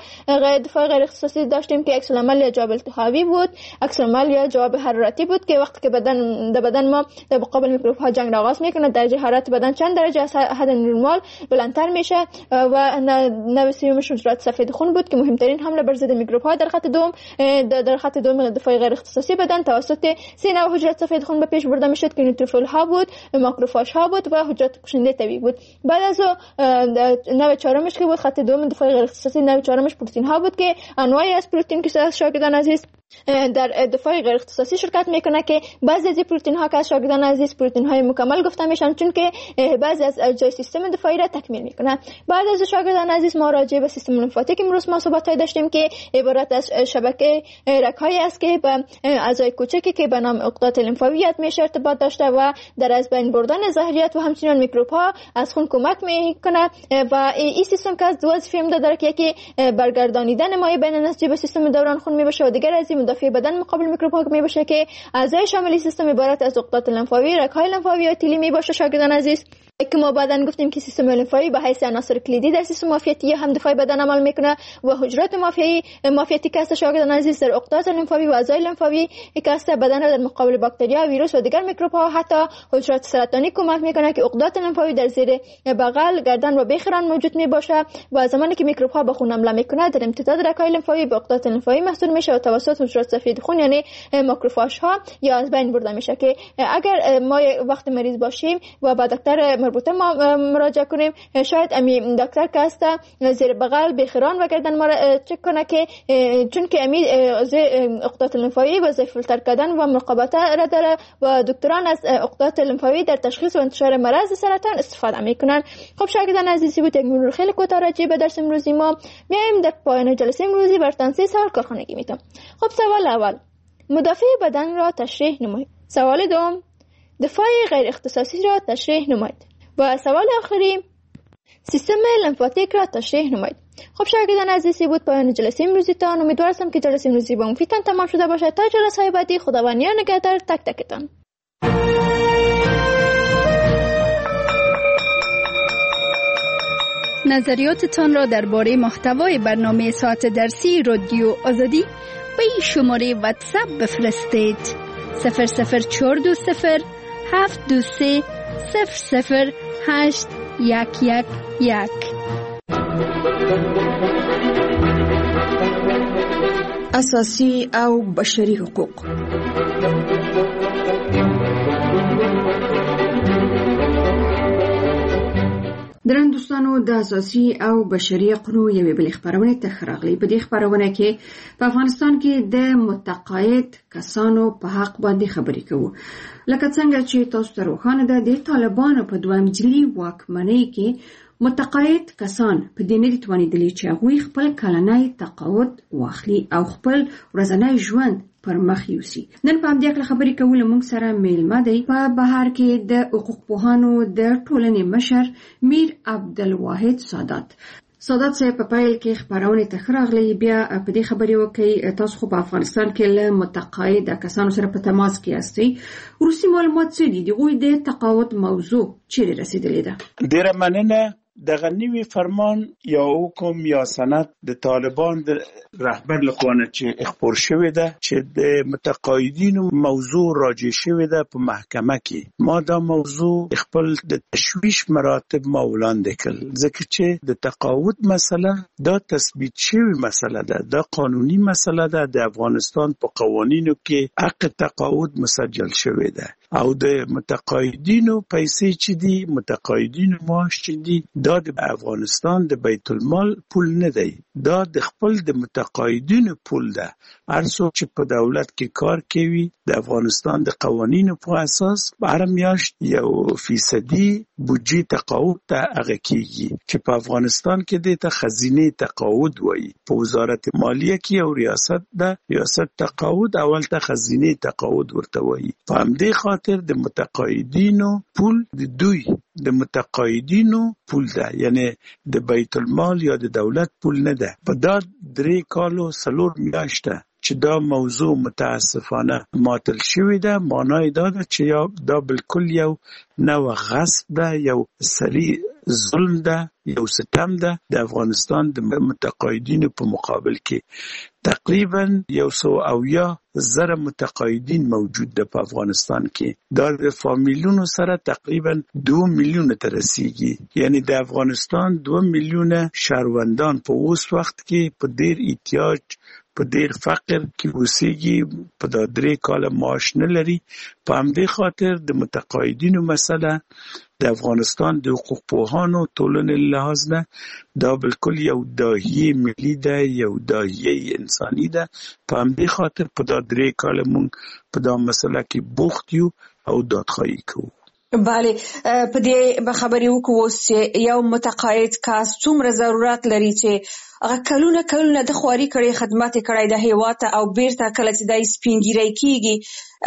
دفاع غیر اختصاصی داشتیم که عکس العمل یا جواب التهابی بود، عکس العمل یا جواب حرارتی بود که وقتی که بدن ما در مقابل میکروب ها جنگ را آغاز میکنه، درجه حرارت بدن چند درجه از حد نرمال بلندتر میشه و نوع سومش حجرات سفید خون بود که مهمترین حمله بر ضد میکروب ها در خط دوم دفاع غیر اختصاصی بدن توسط سه نوع حجرات سفید خون به پیش برده میشد که نوتروفیل ها بود، ماکروفاژ ها بود و حجرات کشنده طبیعی بود. بعد از نوع چهارمش که بود خط دوم دفاع غیر اختصاصی، نوع چهارمش پروتئین ها بود که انواعی از پروتئین که شاگردان عزیز در دفاع غیر اختصاصی شرکت میکنه که بعضی از پروتئین ها که شاگردان عزیز پروتئین های مکمل گفته میشن چون که بعضی از اجزای سیستم دفاعی را تکمیل میکنه. بعد از شاگردان عزیز ما راجع به سیستم لنفاتیک امروز ما صحبت های داشتیم که عبارت از شبکه رگ‌هایی است که به اعضای کوچکی که به نام عقدات لنفاوی یاد میشه ارتباط داشته و در از بین بردن زهریات و همچنین میکروب ها از خون کمک میکنه و این سیستم که از دو وظیفه داره که یکی برگردانیدن مایع بین نسجی به سیستم دوران خون میباشه و دیگر از مدافع بدن مقابل میکروب ها می باشه که اعضای شامل سیستم عبارت از عقدات لنفاوی، رگ‌های لنفاوی و تیلی می باشه. شاگردان عزیز که ما بعداً گفتیم که سیستم لنفاوی به حیث عناصر کلیدی در سیستم معافیتی هم دفاع بدن عمل میکنه و حجرات معافیتی که است شاگردان عزیز در عقدات لنفاوی و اعضای لنفاوی که است بدن را در مقابل باکتریا، ویروس و دیگر میکروب ها حتی حجرات سرطانی کمک میکنه که عقدات لنفاوی در زیر بغل، گردن و بیخران موجود می باشه و زمانی که میکروب ها به خون حمله میکنه در امتداد رگ‌های لنفاوی به عقدات لنفاوی محصور میشه و توسط حجرات سفید خون یعنی ماکروفاژ ها یا از بین برده میشه که اگر ما وقت مریض باشیم و با دکتر مربوطه ما مراجعه کنیم، شاید امی دکتر که است زیر بغل، بیخران و گردن ما را چک کنه که چون که امی عقدات لنفاوی و فیلتر کردن و مراقبت را داره و دکتران از عقدات لنفاوی در تشخیص و انتشار مرض سرطان استفاده میکنن. خب شاگردان عزیزی بود یک مرور خیلی کوتاه راجع به درس امروزی ما. میایم در پایان جلسه امروزی براتون 3 سوال کارخانگی میتم. خب سوال اول، مدافع بدن را تشریح نمایید. سوال دوم، دفاع غیر اختصاصی را تشریح نمایید. و سوال آخری، سیستم لنفاتیک را تشریح نمایید. خب شاگردان عزیزی بود پایان جلسه امروزیتان. امیدوارم که جلسه امروزی با مفیدتان تمام شده باشد. تا جلسه های بعدی خداوند یار نگهدار تک تکتان. نظریاتتان را درباره محتوای برنامه ساعت درسی رادیو آزادی به این شماره واتساپ بفرستید: 00420 723 00 8 1 1 1. اساسي او بشري حقوق. درن دوستانو، د اساسي او بشري حقونو یوې بلې خپرونې ته ښه راغلي. په دې خپرونه کې په افغانستان کې د متقاعد کسانو په حق باندې خبرې کوو. لکه څنګه چې تاسو ته روښانه ده، د طالبانو په دویم ځلي واکمنۍ کې متقاعد کسان په دې نه دي توانېدلي چې هغوی خپل کلنی تقاعد واخلي او خپل ورځنی ژوند پر مخ یوسي. نن په همدې هکله خبرې کوو. له موږ سره میلمه دی په بهر کې د حقوقپوهانو د ټولنې مشر میر عبدالواحد سادات. سادات صاحب، په پیل کې خپرونې ته ښه راغلئ. بیا په دې خبرې وکړئ، تاسو خو په افغانستان کې له متقاعد کسانو سره په تماس کې یاستئ، وروستي معلومات څه دي؟ د هغوی د تقاعد موضوع چیرې رسېدلې ده؟ ډېره مننه. دغه نوی فرمان یا حکم یا سند د طالبان د رهبر لخوا نه چې خپور شوی ده چې د متقاعدینو موضوع راجع شوې ده په محکمه کې، ما دا موضوع خپل د تشویش مراتب ما وړاندې کړل، ځکه چې د تقاعد مسله دا تثبیت شوې مسله ده، دا قانوني مسله ده، د افغانستان په قوانینو کې حق تقاعد مسجل شوې ده او د متقاعدینو پیسې چې دي، متقاعدینو معاش چې دي، دا د افغانستان د بیت المال پول نه دی، دا د خپل د متقاعدینو پول ده. هر څوک چې په دولت کې کار کوي د افغانستان د قوانینو په اساس هر میاشت یو فیصدي بودجې تقاعد ته هغه کیږي چې په افغانستان کې دې ته خزینې تقاعد وایي. په وزارت مالیه کې یو ریاست ده، ریاست تقاعد اول ته خزینې تقاعد ورته وایي. په همدې خاطر د متقاعدینو پول د دوی د متقاعدینو پول ده، یعنی د بیت المال یا د دولت پول نه ده. په دا 3 کالو 4 میاشته چې چې دا موضوع متاسفانه ماتل شوې ده، معنا یې دا ده چې دا بالکل یو نوع غصب ده، یو صریح ظلم ده، یو ستم ده د افغانستان د متقاعدینو په مقابل کې. تقریبا 170,000 متقاعدین موجود ده په افغانستان کې. دا د فامیلونو سره تقریبا 2 میلیونه ته رسیږي. یعنی د افغانستان 2 میلیونه شهروندان په اوس وخت کې په ډیر احتیاج، په ډیر فقر کې اوسیږي، په دا 3 کاله معاش نه لري. په همدې خاطر د متقاعدینو مسله د افغانستان د حقوقپوهانو ټولنې له لحاظ نه دا بالکل یو داهیه ملي ده، یو داهیه انساني ده. په همدې خاطر په دا 3 کاله مونږ په دا مسله کې بوخت یو او دادخواهي کوو. بله، په دې به خبرې وکړو اوس چې یو متقاعد کس څومره ضرورت لري چې هغه کلونه کلونه د خواري کړې، خدمت یې کړی د هیواد ته، او بیرته کله چې دی سپینږیری کیږي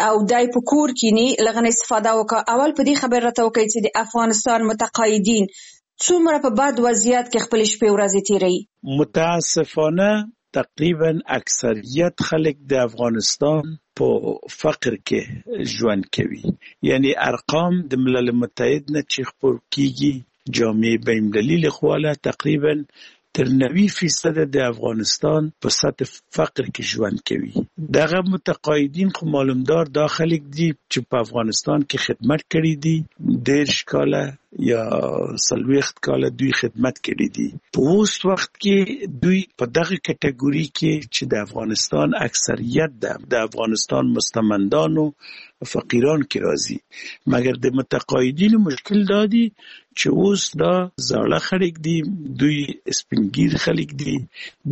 او دی په کور کینی له هغه نه استفاده وکړه. اول په دې خبره راته وکړئ چې د افغانستان متقاعدین څومره په بد وضعیت کې خپلې شپې ورځې تېروي؟ متاسفانه تقریبا اکثریت خلک د افغانستان په فقر کې ژوند کوي. یعنی ارقام د ملل متحد نه چې خپور کیږي، جامعه بین المللي لخوا له تقریبا تر 90% د افغانستان په سطح فقر کې ژوند کوي. دغه متقاعدین خو معلومدار دا خلک دي چې په افغانستان کې خدمت کړی دي، 30 کاله یا 40 کاله دوی خدمت کړی دي. په اوس وخت کې دوی په دغه کټګوري کې چې د افغانستان اکثریت ده، د افغانستان مستمندانو فقیران کې راځي. مګر د متقاعدینو مشکل دا دی چې اوس دا زاړه خلک دي، دوی سپینګیر خلک دي،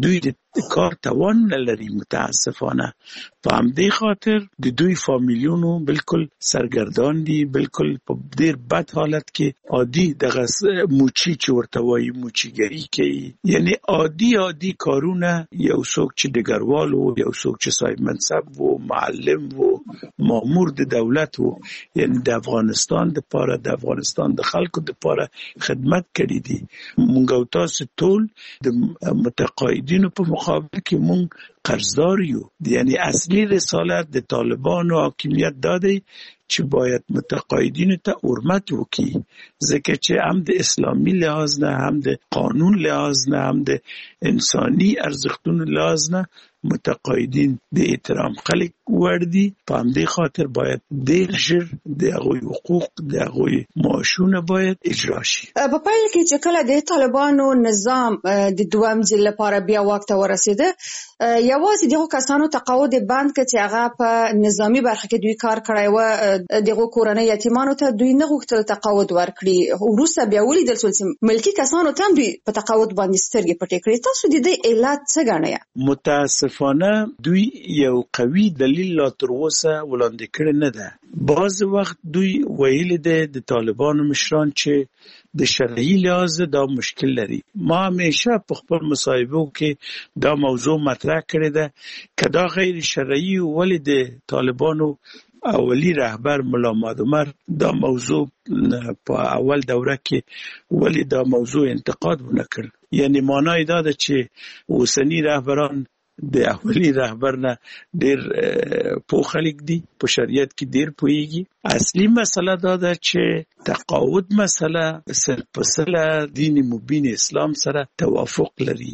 دوی د کار توان نه لري متاسفانه. په همدې خاطر د دوی فامیلونو بالکل سرګردان دي، بالکل په ډیر بد حالت کې. عادي دغه موچي چې ورته وایي، موچیګري کوي، یعنی عادي عادي کارونه. یو څوک چې ډګروال و، یو څوک چې صاحب منصب و، معلم و، مامور د دولت و، یعنی د افغانستان دپاره، د افغانستان د خلکو دپاره خدمت کړی دي. مونږ او تاسو ټول د متقاعدینو په مقابل کې مونږ قرضدار یو. یعنی اصلي رسالت د طالبانو حاکمیت دا دی چې باید متقاعدینو ته حرمت وکړي، ځکه چې هم د اسلامي لحاظ نه، هم د قانون لحاظ نه، هم د انساني ارزښتونو لحاظ نه متقاعدین د احترام خلک وړ دي. په همدې خاطر باید ډیر ژر د هغوی حقوق، د هغوی معاشونه باید اجرا شي. په پیل کې چې کله د طالبانو نظام د دویم ځل لپاره بیا واک ته ورسېده، یوازې دغو کسانو تقاعد یې بند کړ چې هغه په نظامي برخه کې دوی کار کړی و، دغو کورنۍ یتیمانو ته دوی نه غوښتل تقاعد ورکړي. وروسته بیا ولیدل شول چې ملکي کسانو ته هم دوی په تقاعد باندې سترګې پټې کړې. تاسو د دې علت څه ګڼئ؟ متاسفانه دوی یو قوي دلیل لا تر اوسه وړاندې کړی نه ده. بعض وخت دوی ویلي دی د طالبانو مشران چې د شرعي لحاظ دا مشکل لري. ما همیشه په خپل مصاحبو کې دا موضوع مطرح کړې ده، که دا غیر شرعي ولې د طالبانو اولی رهبر ملا محمد عمر دا موضوع په اول دوره کې ولې دا موضوع انتقاد ونه کړ؟ یعنی معنا یې دا ده چې اوسني رهبران د اولی رهبر نه ډیر پوه خلک دي، په شریعت کې ډیر پوهیږي. اصلي مسله دا ده چې تقاعد مسله سل په سله دین مبین اسلام سره توافق لري،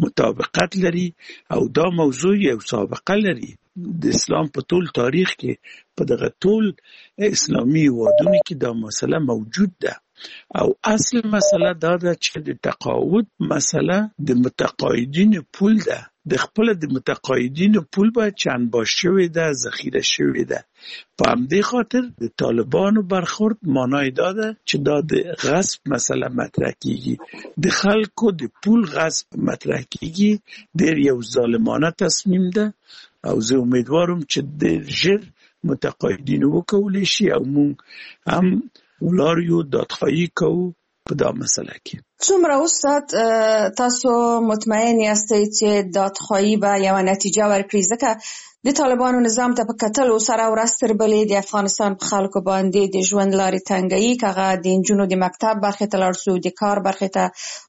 مطابقت لري، او دا موضوع یو سابقه لري. د اسلام په ټول تاریخ کې، په دغه ټول اسلامي هیوادونو کې دا مسله موجود ده. او اصل مسله دا ده چې د تقاعد مسله د متقاعدینو پول ده. د خپل د متقاعدینو پول به چې انباشت شوې ده، ذخیره شوې ده. په همدې خاطر د طالبانو برخورد معنای دا ده چې دا د غصب مسله مطرح کیږي، د خلکو د پول غصب مطرح کیږي. ډیر یو ظالمانه تصمیم ده او زه امیدوارم چې ډیر ژر متقاعدین وکولی شي او موږ هم ولاړ یو دادخواهي کوو په دا مسله کې. څومره استاد تاسو مطمئن یاستئ چې دادخواهي به یوه نتیجه ورکړي؟ ځکه د طالبانو نظام ته په کتلو سره ورځ تر بلې د افغانستان په خلکو باندې د ژوند لارې تنګوي، که هغه د نجونو د مکتب برخې ته لاړ شو، د کار برخې ته،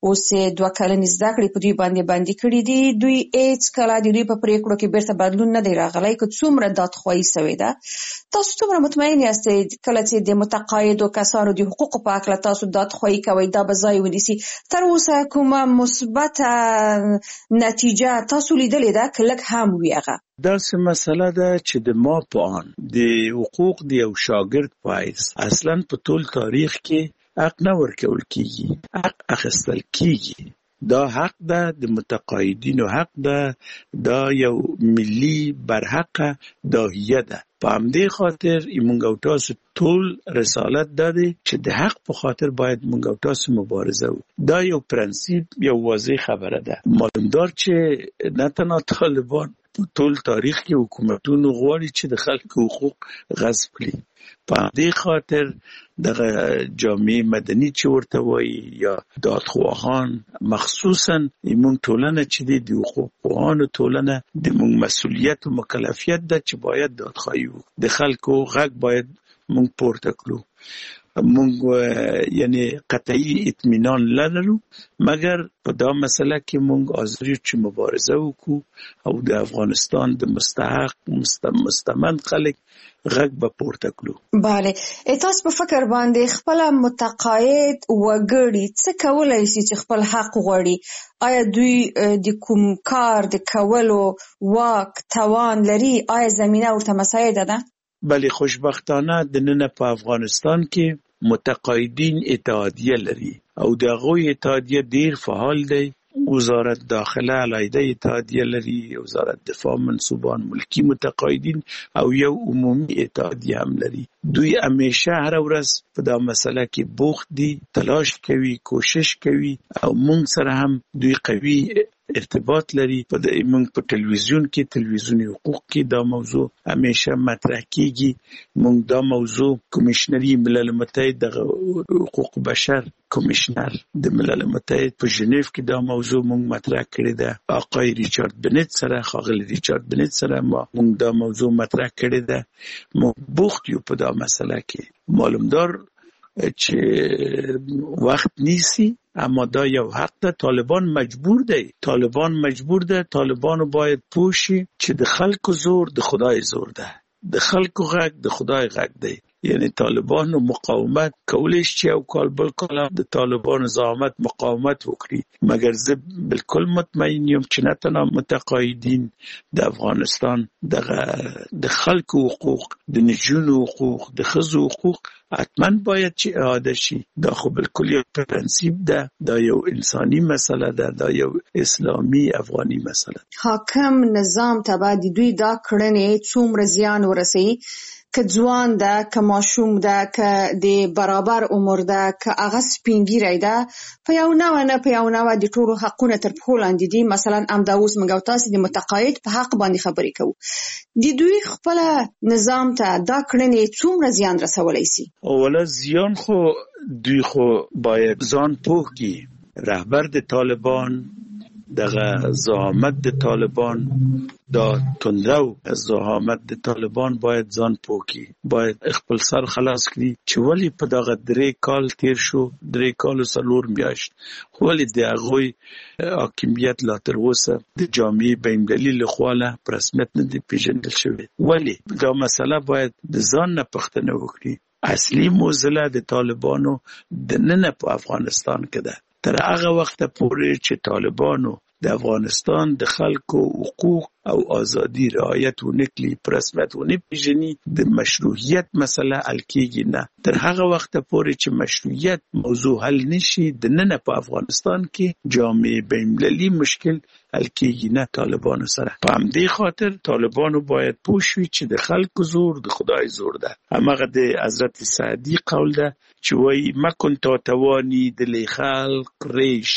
اوس یې 2 کلنې زده کړې په دوی باندې بندې کړې دي. دوی هېڅکله د دوی په پرېکړو کې بېرته بدلون نه دی راغلی، که څومره دادخواهي شوې ده. تاسو څومره مطمئن یاستئ کله چې د متقاعدو کسانو د حقوقو په هکله تاسو دادخواهي کوئ، دا به ځای ونیسي؟ تر اوسه کومه مثبته نتیجه تاسو لیدلې ده، که لږ هم وي هغه؟ داسې مسله ده چې د ما په آن د حقوق د یو شاګرد په حیث اصلا په ټول تاریخ کې حق نه ورکول کیږي، حق اخیستل کیږي. دا حق ده، د متقاعدینو حق ده، دا یو ملي برحقه داهیه ده. په همدې خاطر موږ او تاسو ټول رسالت دا دی چې د حق په خاطر باید موږ او تاسو مبارزه وکړو. دا یو پرنسیپ، یو واضح خبره ده. معلومدار چې نه تنها طالبان، په ټول تاریخ کې حکومتونو غواړي چې د خلکو حقوق غصب کړي. په همدې خاطر دغه جامعه مدني چې ورته وایي یا دادخواهان، مخصوصا موږ ټولنه چې دی د حقوقپوهانو ټولنه، د موږ مسؤلیت او مکلفیت ده چې باید دادخواهي وکړو، د خلکو غږ باید موږ پورته کړو. موږ یعنی قطعي اطمینان لرو، مګر په دا مسله کې موږ حاضر یو چې مبارزه وکړو او د افغانستان د مستحق مستمند خلک غږ به پورته کړو. بله، تاسو په فکر باندې خپل متقاعد وګړي څه کولای شي چې خپل حق غواړي؟ آیا دوی د کوم کار د کولو واک توان لري؟ آیا زمینه ورته مساعده ده؟ بله، خوشبختانه د ننه په افغانستان کې متقاعدین اتحادیه لري او د هغوی اتحادیه ډیر فعال دی. وزارت داخله علیحده اتحادیه لري، وزارت دفاع منسوبان، ملکی متقاعدین او یو عمومي اتحادیه هم لري. دوی همیشه هره ورځ په دا مسله کې بوخت دي، تلاش کوي، کوشش کوي او مونږ سره هم دوی قوي ارتباط لري. په د مونږ په تلویزیون کې، تلویزیوني حقوق کې دا موضوع همیشه مطرح کیږي. مونږ دا موضوع کمیشنری ملل متحد، دغه حقوق بشر کمیشنر د ملل متحد په ژنیو کې دا موضوع مونږ مطرح کړې ده. آقای ریچارد بنت سره، ښاغلي ریچارد بنت سره مونږ دا موضوع مطرح کړې ده. مونږ بوخت یو په دا مسله کې. معلومدار چې وخت نیسي، اما دا یو حق ده. طالبان مجبور دی، طالبان مجبور ده. طالبانو باید پوه شي چې د خلکو زور د خدای زور ده، د خلکو غږ د خدای غږ دی. یعنی طالبانو مقاومت کولی شي چې یو کال بل کال د طالبانو زعامت مقاومت وکړي، مګر زه بالکل مطمئن یم چې نه تنها متقاعدین د افغانستان دغه د خلکو حقوق، د نجونو حقوق، د ښځو حقوق حتما باید چې اعاده شي. دا خو بالکل یو پرنسیپ ده، دا یو انساني مسله ده، دا یو اسلامي افغاني مسله ده. حاکم نظام ته به د دوی دا کړنې څومره زیان ورسوي؟ که ځوان ده، که ماشوم ده، که د برابر عمر ده، که هغه سپین ږیری ده، په یو نوع نه په یو نوع د ټولو حقونه تر پښو لاندې دي. مثلا همدا اوس موږ او تاسې د متقاعد په حق باندې خبرې کوو، د دوی خپله نظام ته دا کړنې څومره زیان رسولی سي؟ اوله زیان خو دوی خو باید ځان پوه کړي. رهبر د طالبان، دغه زعامت د طالبان، دا تندرو زعامت د طالبان باید ځان پوه کړي، باید خپل سر خلاص کړي چې ولې په دغه 3 کال تیر شو، 3 کال او 4 میاشت، ولې د هغوی حاکمیت لا تر اوسه د جامعې بین المللي له خوا له په رسمیت نه دی پېژندل شوی؟ ولې دا مسله باید د ځان نه پوښتنه وکړي. اصلي معضله د طالبانو دننه په افغانستان کې ده. تر هغه وخته پورې چې طالبانو د افغانستان د خلکو حقوق او ازادي رعایت ونه کړي، په رسمیت ونه پېژني، د مشروعیت مسله حل کېږي نه. تر هغه وخته پورې چې مشروعیت موضوع حل نشي، دننه په افغانستان کې جامع بین المللي مشکل حل کېږي نه طالبانو سره. په همدې خاطر طالبانو باید پوه شي چې د خلکو زور د خدای زور ده. هماغه د حضرت سعدي قول ده چې وایي مکن تا توانی دل خلق ریش،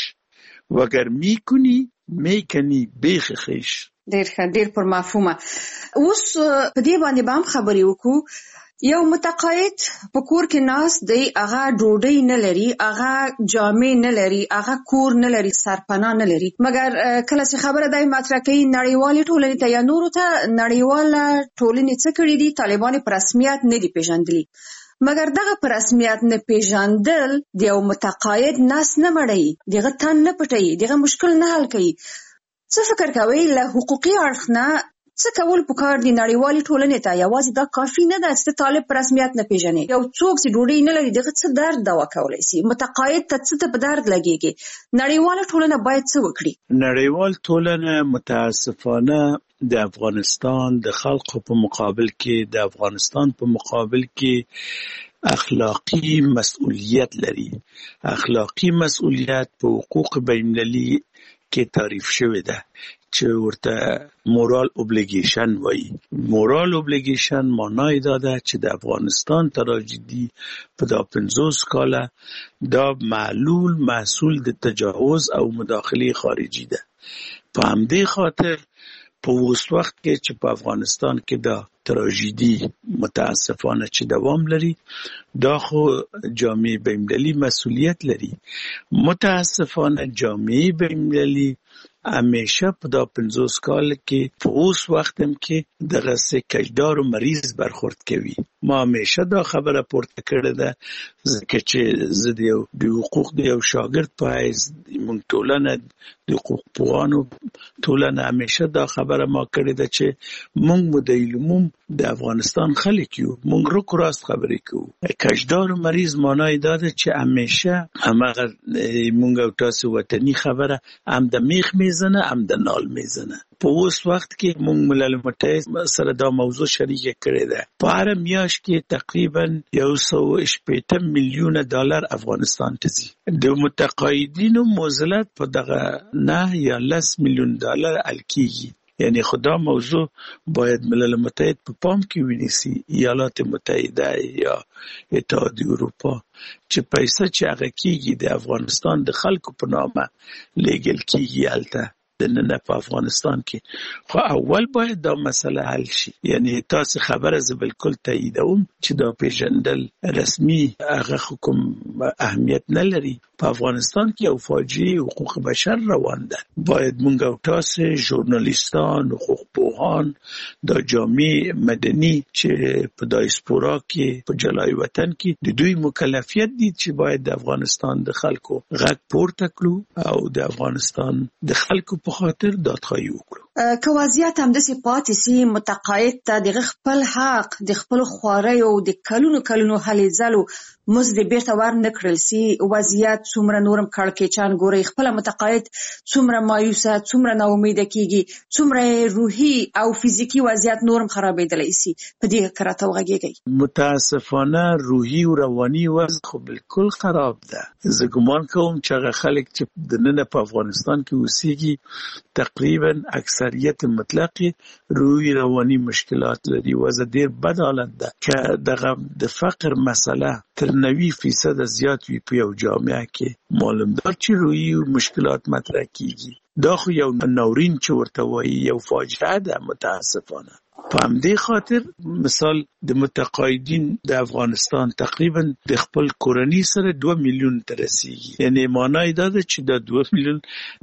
وګر میکنی میکنی بیخ خیش. ډیر ښه، ډیر پر مفهومه. اوس په دې باندې به هم خبرې وکړو. یو متقاعد په کور کې ناست دی، هغه ډوډۍ نه لري، هغه جامې نه لري، هغه کور نه لري، سرپناه نه لري، مګر کله چې خبره دی مطرح کوي نړیوالې ټولنې ته یا نورو ته، نړیواله ټولنې څه کړي دي؟ طالبان یې په رسمیت نه دي پېژندلي. مګر دغه په رسمیت نه پېژندل د یو متقاعد نس نه مړوي، د هغه تن نه پټوي، د هغه مشکل نه حل کوي. څه فکر کوئ له حقوقي اړخ نه څه کول پکار دي نړیوالې ټولنې ته؟ یوازې دا کافي نه ده چې ته طالب په رسمیت نه پېژنې. یو څوک چې ډوډۍ نه لري د هغه څه درد دوا کولی سي؟ متقاعد ته څه ته په درد لګېږي؟ نړیواله ټولنه باید څه وکړي؟ نړیوال ټولنه متاسفانه د افغانستان د خلقو په مقابل کې، د افغانستان په مقابل کې اخلاقي مسئولیت لري. اخلاقي مسئولیت په حقوق بین المللي کې تعریف شوې ده چې ورته moral obligation وایي. moral obligation معنا یې دا ده چې د افغانستان تراژیدي په دا 50 کاله دا معلول محصول د تجاوز او مداخلې خارجي ده. په همدې خاطر په اوس وخت کې چې په افغانستان کې دا تراژیدي متاسفانه چې دوام لري، دا خو جامعه بین المللي مسئولیت لري. متاسفانه جامعه بین المللي همیشه په دا 50 کال کې په اوس وخت هم کې دغسې کجدار و مریض برخورد کوي. ما همیشه دا خبره پورته کړې ده، ځکه چې زه د حقوق د یو شاګرد په حیث، موږ ټولنه د حقوق پوهانو ټولنه همیشه دا خبره ما کړې ده چې موږ مدعي العموم د افغانستان خلک یو، موږ رک راست خبرې کوو. کجدار و مریض معنا یې دا ده چې همیشه هماغه موږ او تاسو وطني خبره، هم د میخ میزنه هم د نال میزنه. په اوس وخت کې موږ ملل متحد سره دا موضوع شریکه کړې ده. په هره میاشت کې تقریبا 160 میلیونه ډالر افغانستان ته ځي. د متقاعدینو معضلت په دغه 9 یا 10 میلیون ډالر حل کیږي. یعنی خو دا موضوع باید ملل متحد په پام کې ونیسي، ایالات متحده یا اتحاد اروپا، چې پیسې چې هغه کیږي د افغانستان د خلکو په نامه لیږل کیږي هلته دننه په افغانستان کې. خو اول باید دا مسله حل شي. یعنی تاسو خبره زه بالکل تاییدوم چې دا پیژندل رسمي هغه خو کوم اهمیت نه لري. په افغانستان کې یو فاجعه حقوق بشر روان ده. باید مونږ او تاسو ژورنالیستان، حقوق پوهان، دا جامعه مدني چې په دایسپورا کې په جلای وطن کې د دوی مکلفیت دي چې باید د افغانستان د خلکو غږ پورته کړو او د افغانستان د خلکو په خاطر دادخواهي وکړو. که وضعیت همداسې پاتې سي، متقاعد ته د هغه خپل حق، د خپلو خواریو، د کلونو کلونو هلې ځلو مزد بیرته ور نه کړل سي، وضعیت څومره نورم کړکېچن ګورئ؟ خپله متقاعد څومره مایوسه، څومره ناامیده کیږي، څومره روحي او فزیکي وضعیت نورم خرابېدلی سي؟ په دې که راته وغږېږئ. متاسفانه روحي او رواني وضع خو بالکل خراب ده. زه ګمان کوم چې هغه خلک چې دننه په افغانستان کې اوسیږي تقریبا اکثریت مطلق روحي رواني مشکلات لري. وضع ډیر بد حالت ده. که دغه د فقر مسله تر 90% زیات وي په یو جامعه کې، معلومدار چې روحي مشکلات مطرح کیږي. دا خو یو ناورین چې ورته وایي، یو فاجعه ده متاسفانه. په همدې خاطر مثال د متقاعدین د افغانستان تقریبا د خپل کورنۍ سره 2 میلیون ته رسیږي. یعنی معنا یې دا ده چې دا 2 میلیون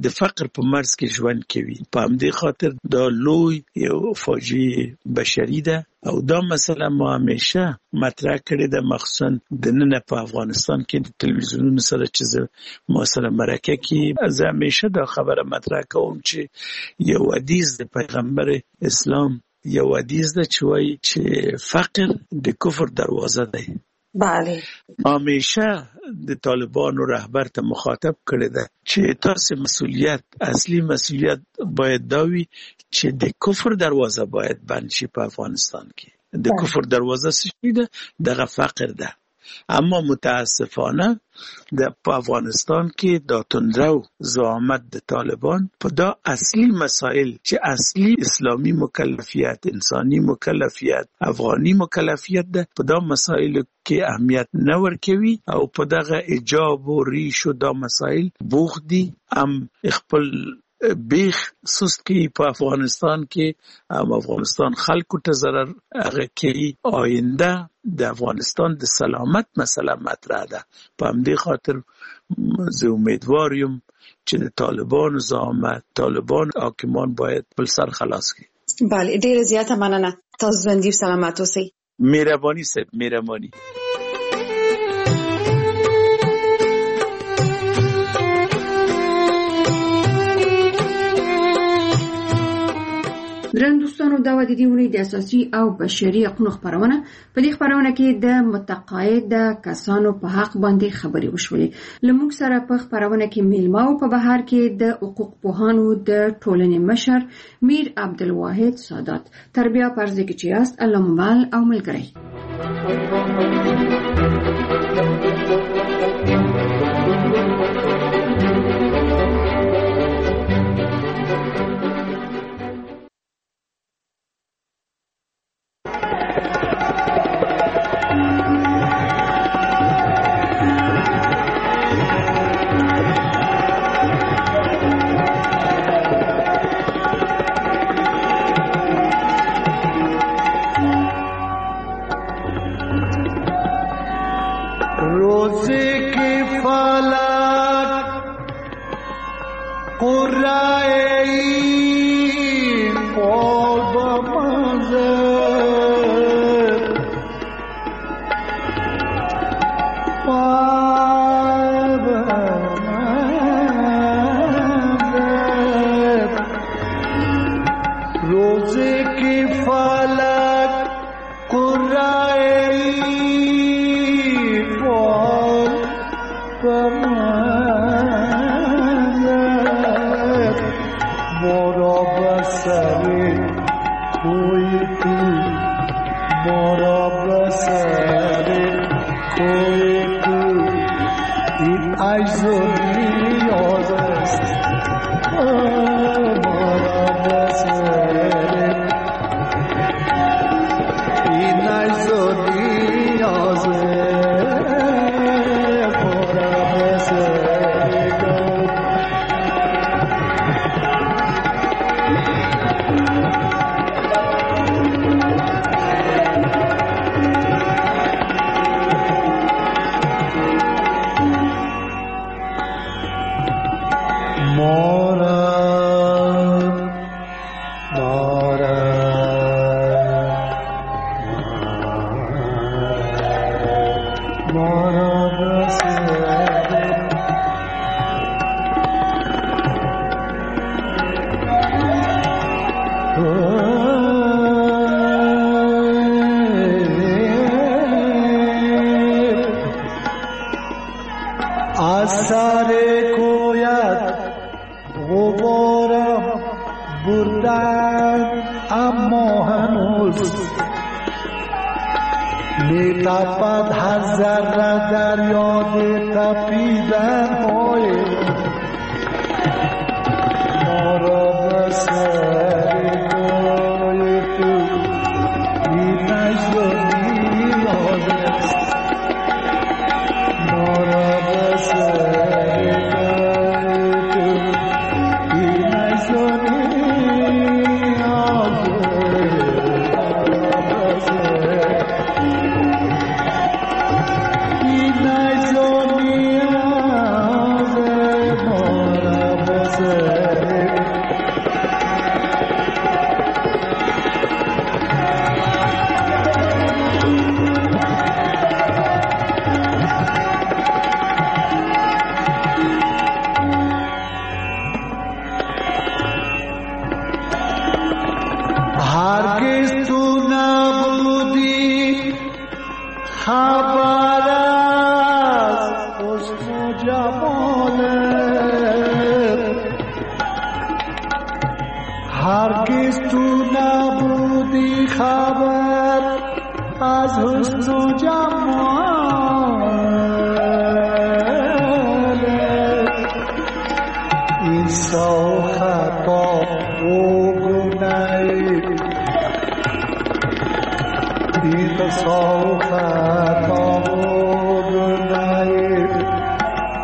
د فقر په مرز کې ژوند کوي. په همدې خاطر دا لوی یو فاجعه بشري ده او دا مسله ما همیشه مطرح کړې ده، مخصوصا دننه په افغانستان کې د تلویزیونونو سره چې زه ما سره مرکه کې، زه همیشه دا خبره مطرح کوم چې یو حدیث د پیغمبر اسلام یو حدیث ده چې وایي چې فقر د کفر دروازه دی. بله. همیشه د طالبانو رهبر ته مخاطب کړی ده چې تاسو مسئولیت، اصلي مسئولیت باید دا وي چې د کفر دروازه باید بند شي په افغانستان کې. د کفر دروازه څه شي ده؟ دغه فقر ده. اما متاسفانه د په افغانستان کې دا تندرو زعامت د طالبان په دا اصلي مسائل چې اصلي اسلامي مکلفیت، انساني مکلفیت، افغاني مکلفیت ده، په دا مسائل کې اهمیت نه ورکوي او په دغه ایجاب و ریش و دا مسائل بوخت دي. هم خپل بیخ سست کوي په افغانستان کې، هم افغانستان خلکو ته ضرر هغه کوي. آینده د افغانستان د سلامت مسله مطرح ده. په همدې خاطر زه امیدوار یم چې د طالبانو زعامت، طالبان حاکمان باید خپل سر خلاص کړي. بله، ډیره زیاته مننه، تاسو ژوندي او سلامت اوسئ. مهرباني صاحب، مهرباني. درنو دوستانو، دا وه د دې اونۍ د اساسي او بشري حقونو خپرونه. په دې خپرونه کې د متقاعد کسانو په حق باندې خبرې وشولې. له موږ سره په خپرونه کې میلمه او په بهر کې د حقوق پوهانو د ټولنې مشر میر عبدالواحد سادات. تر بیا پر ځای کې چې یاست، الله مو مل او ملګری.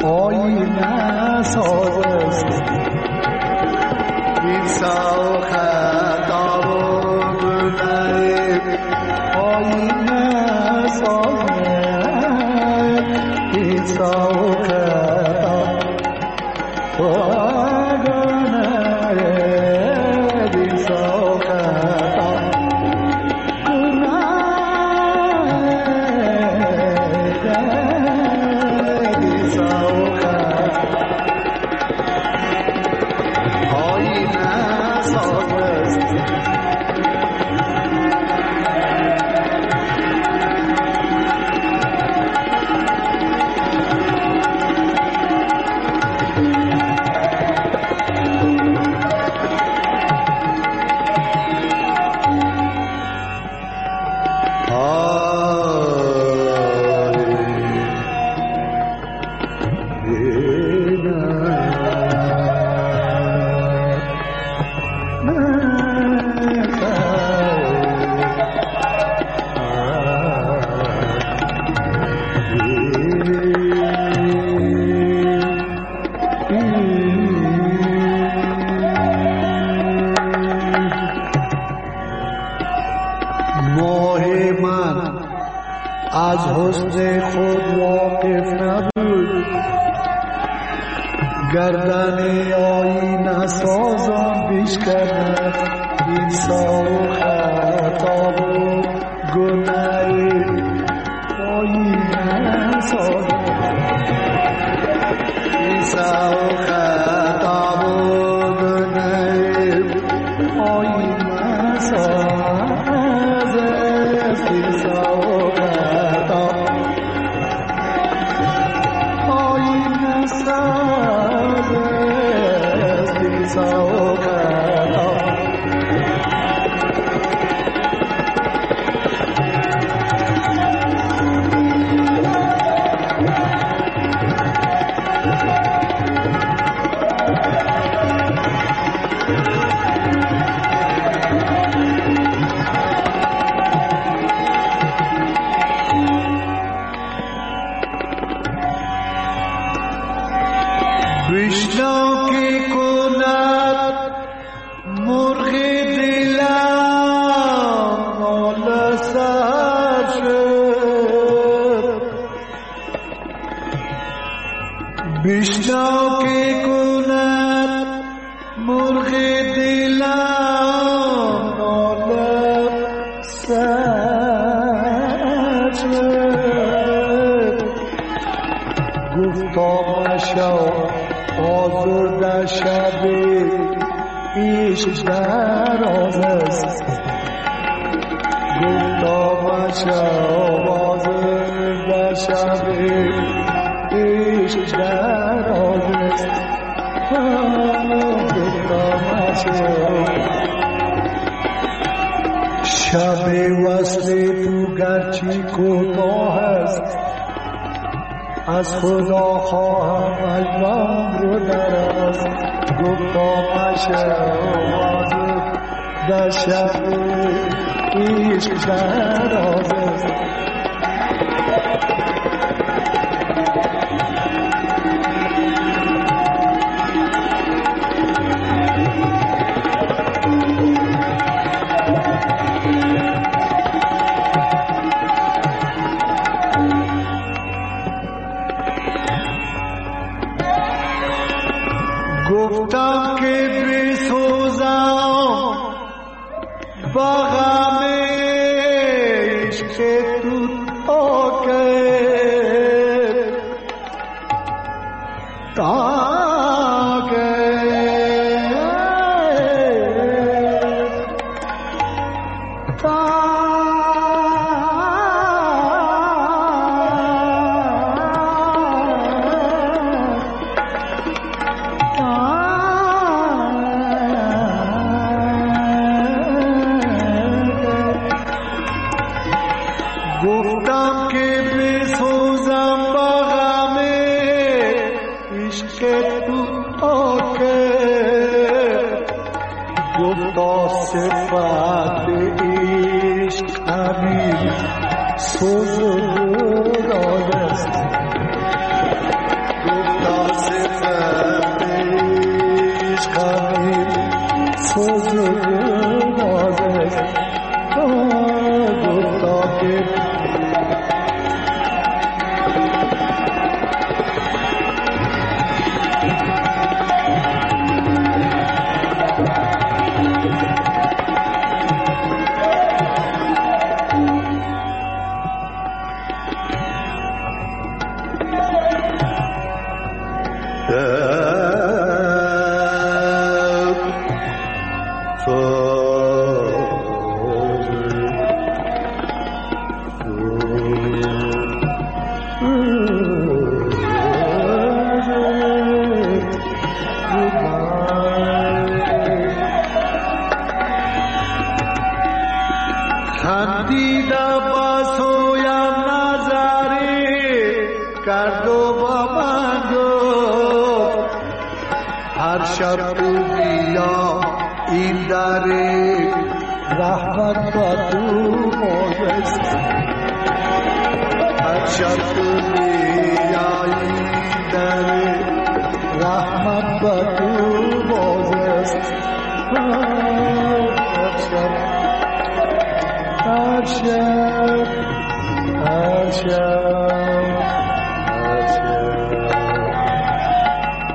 آینه ساز است.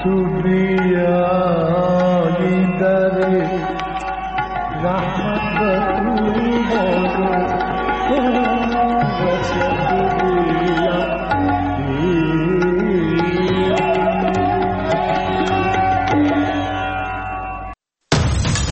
تو بیایی در رحمت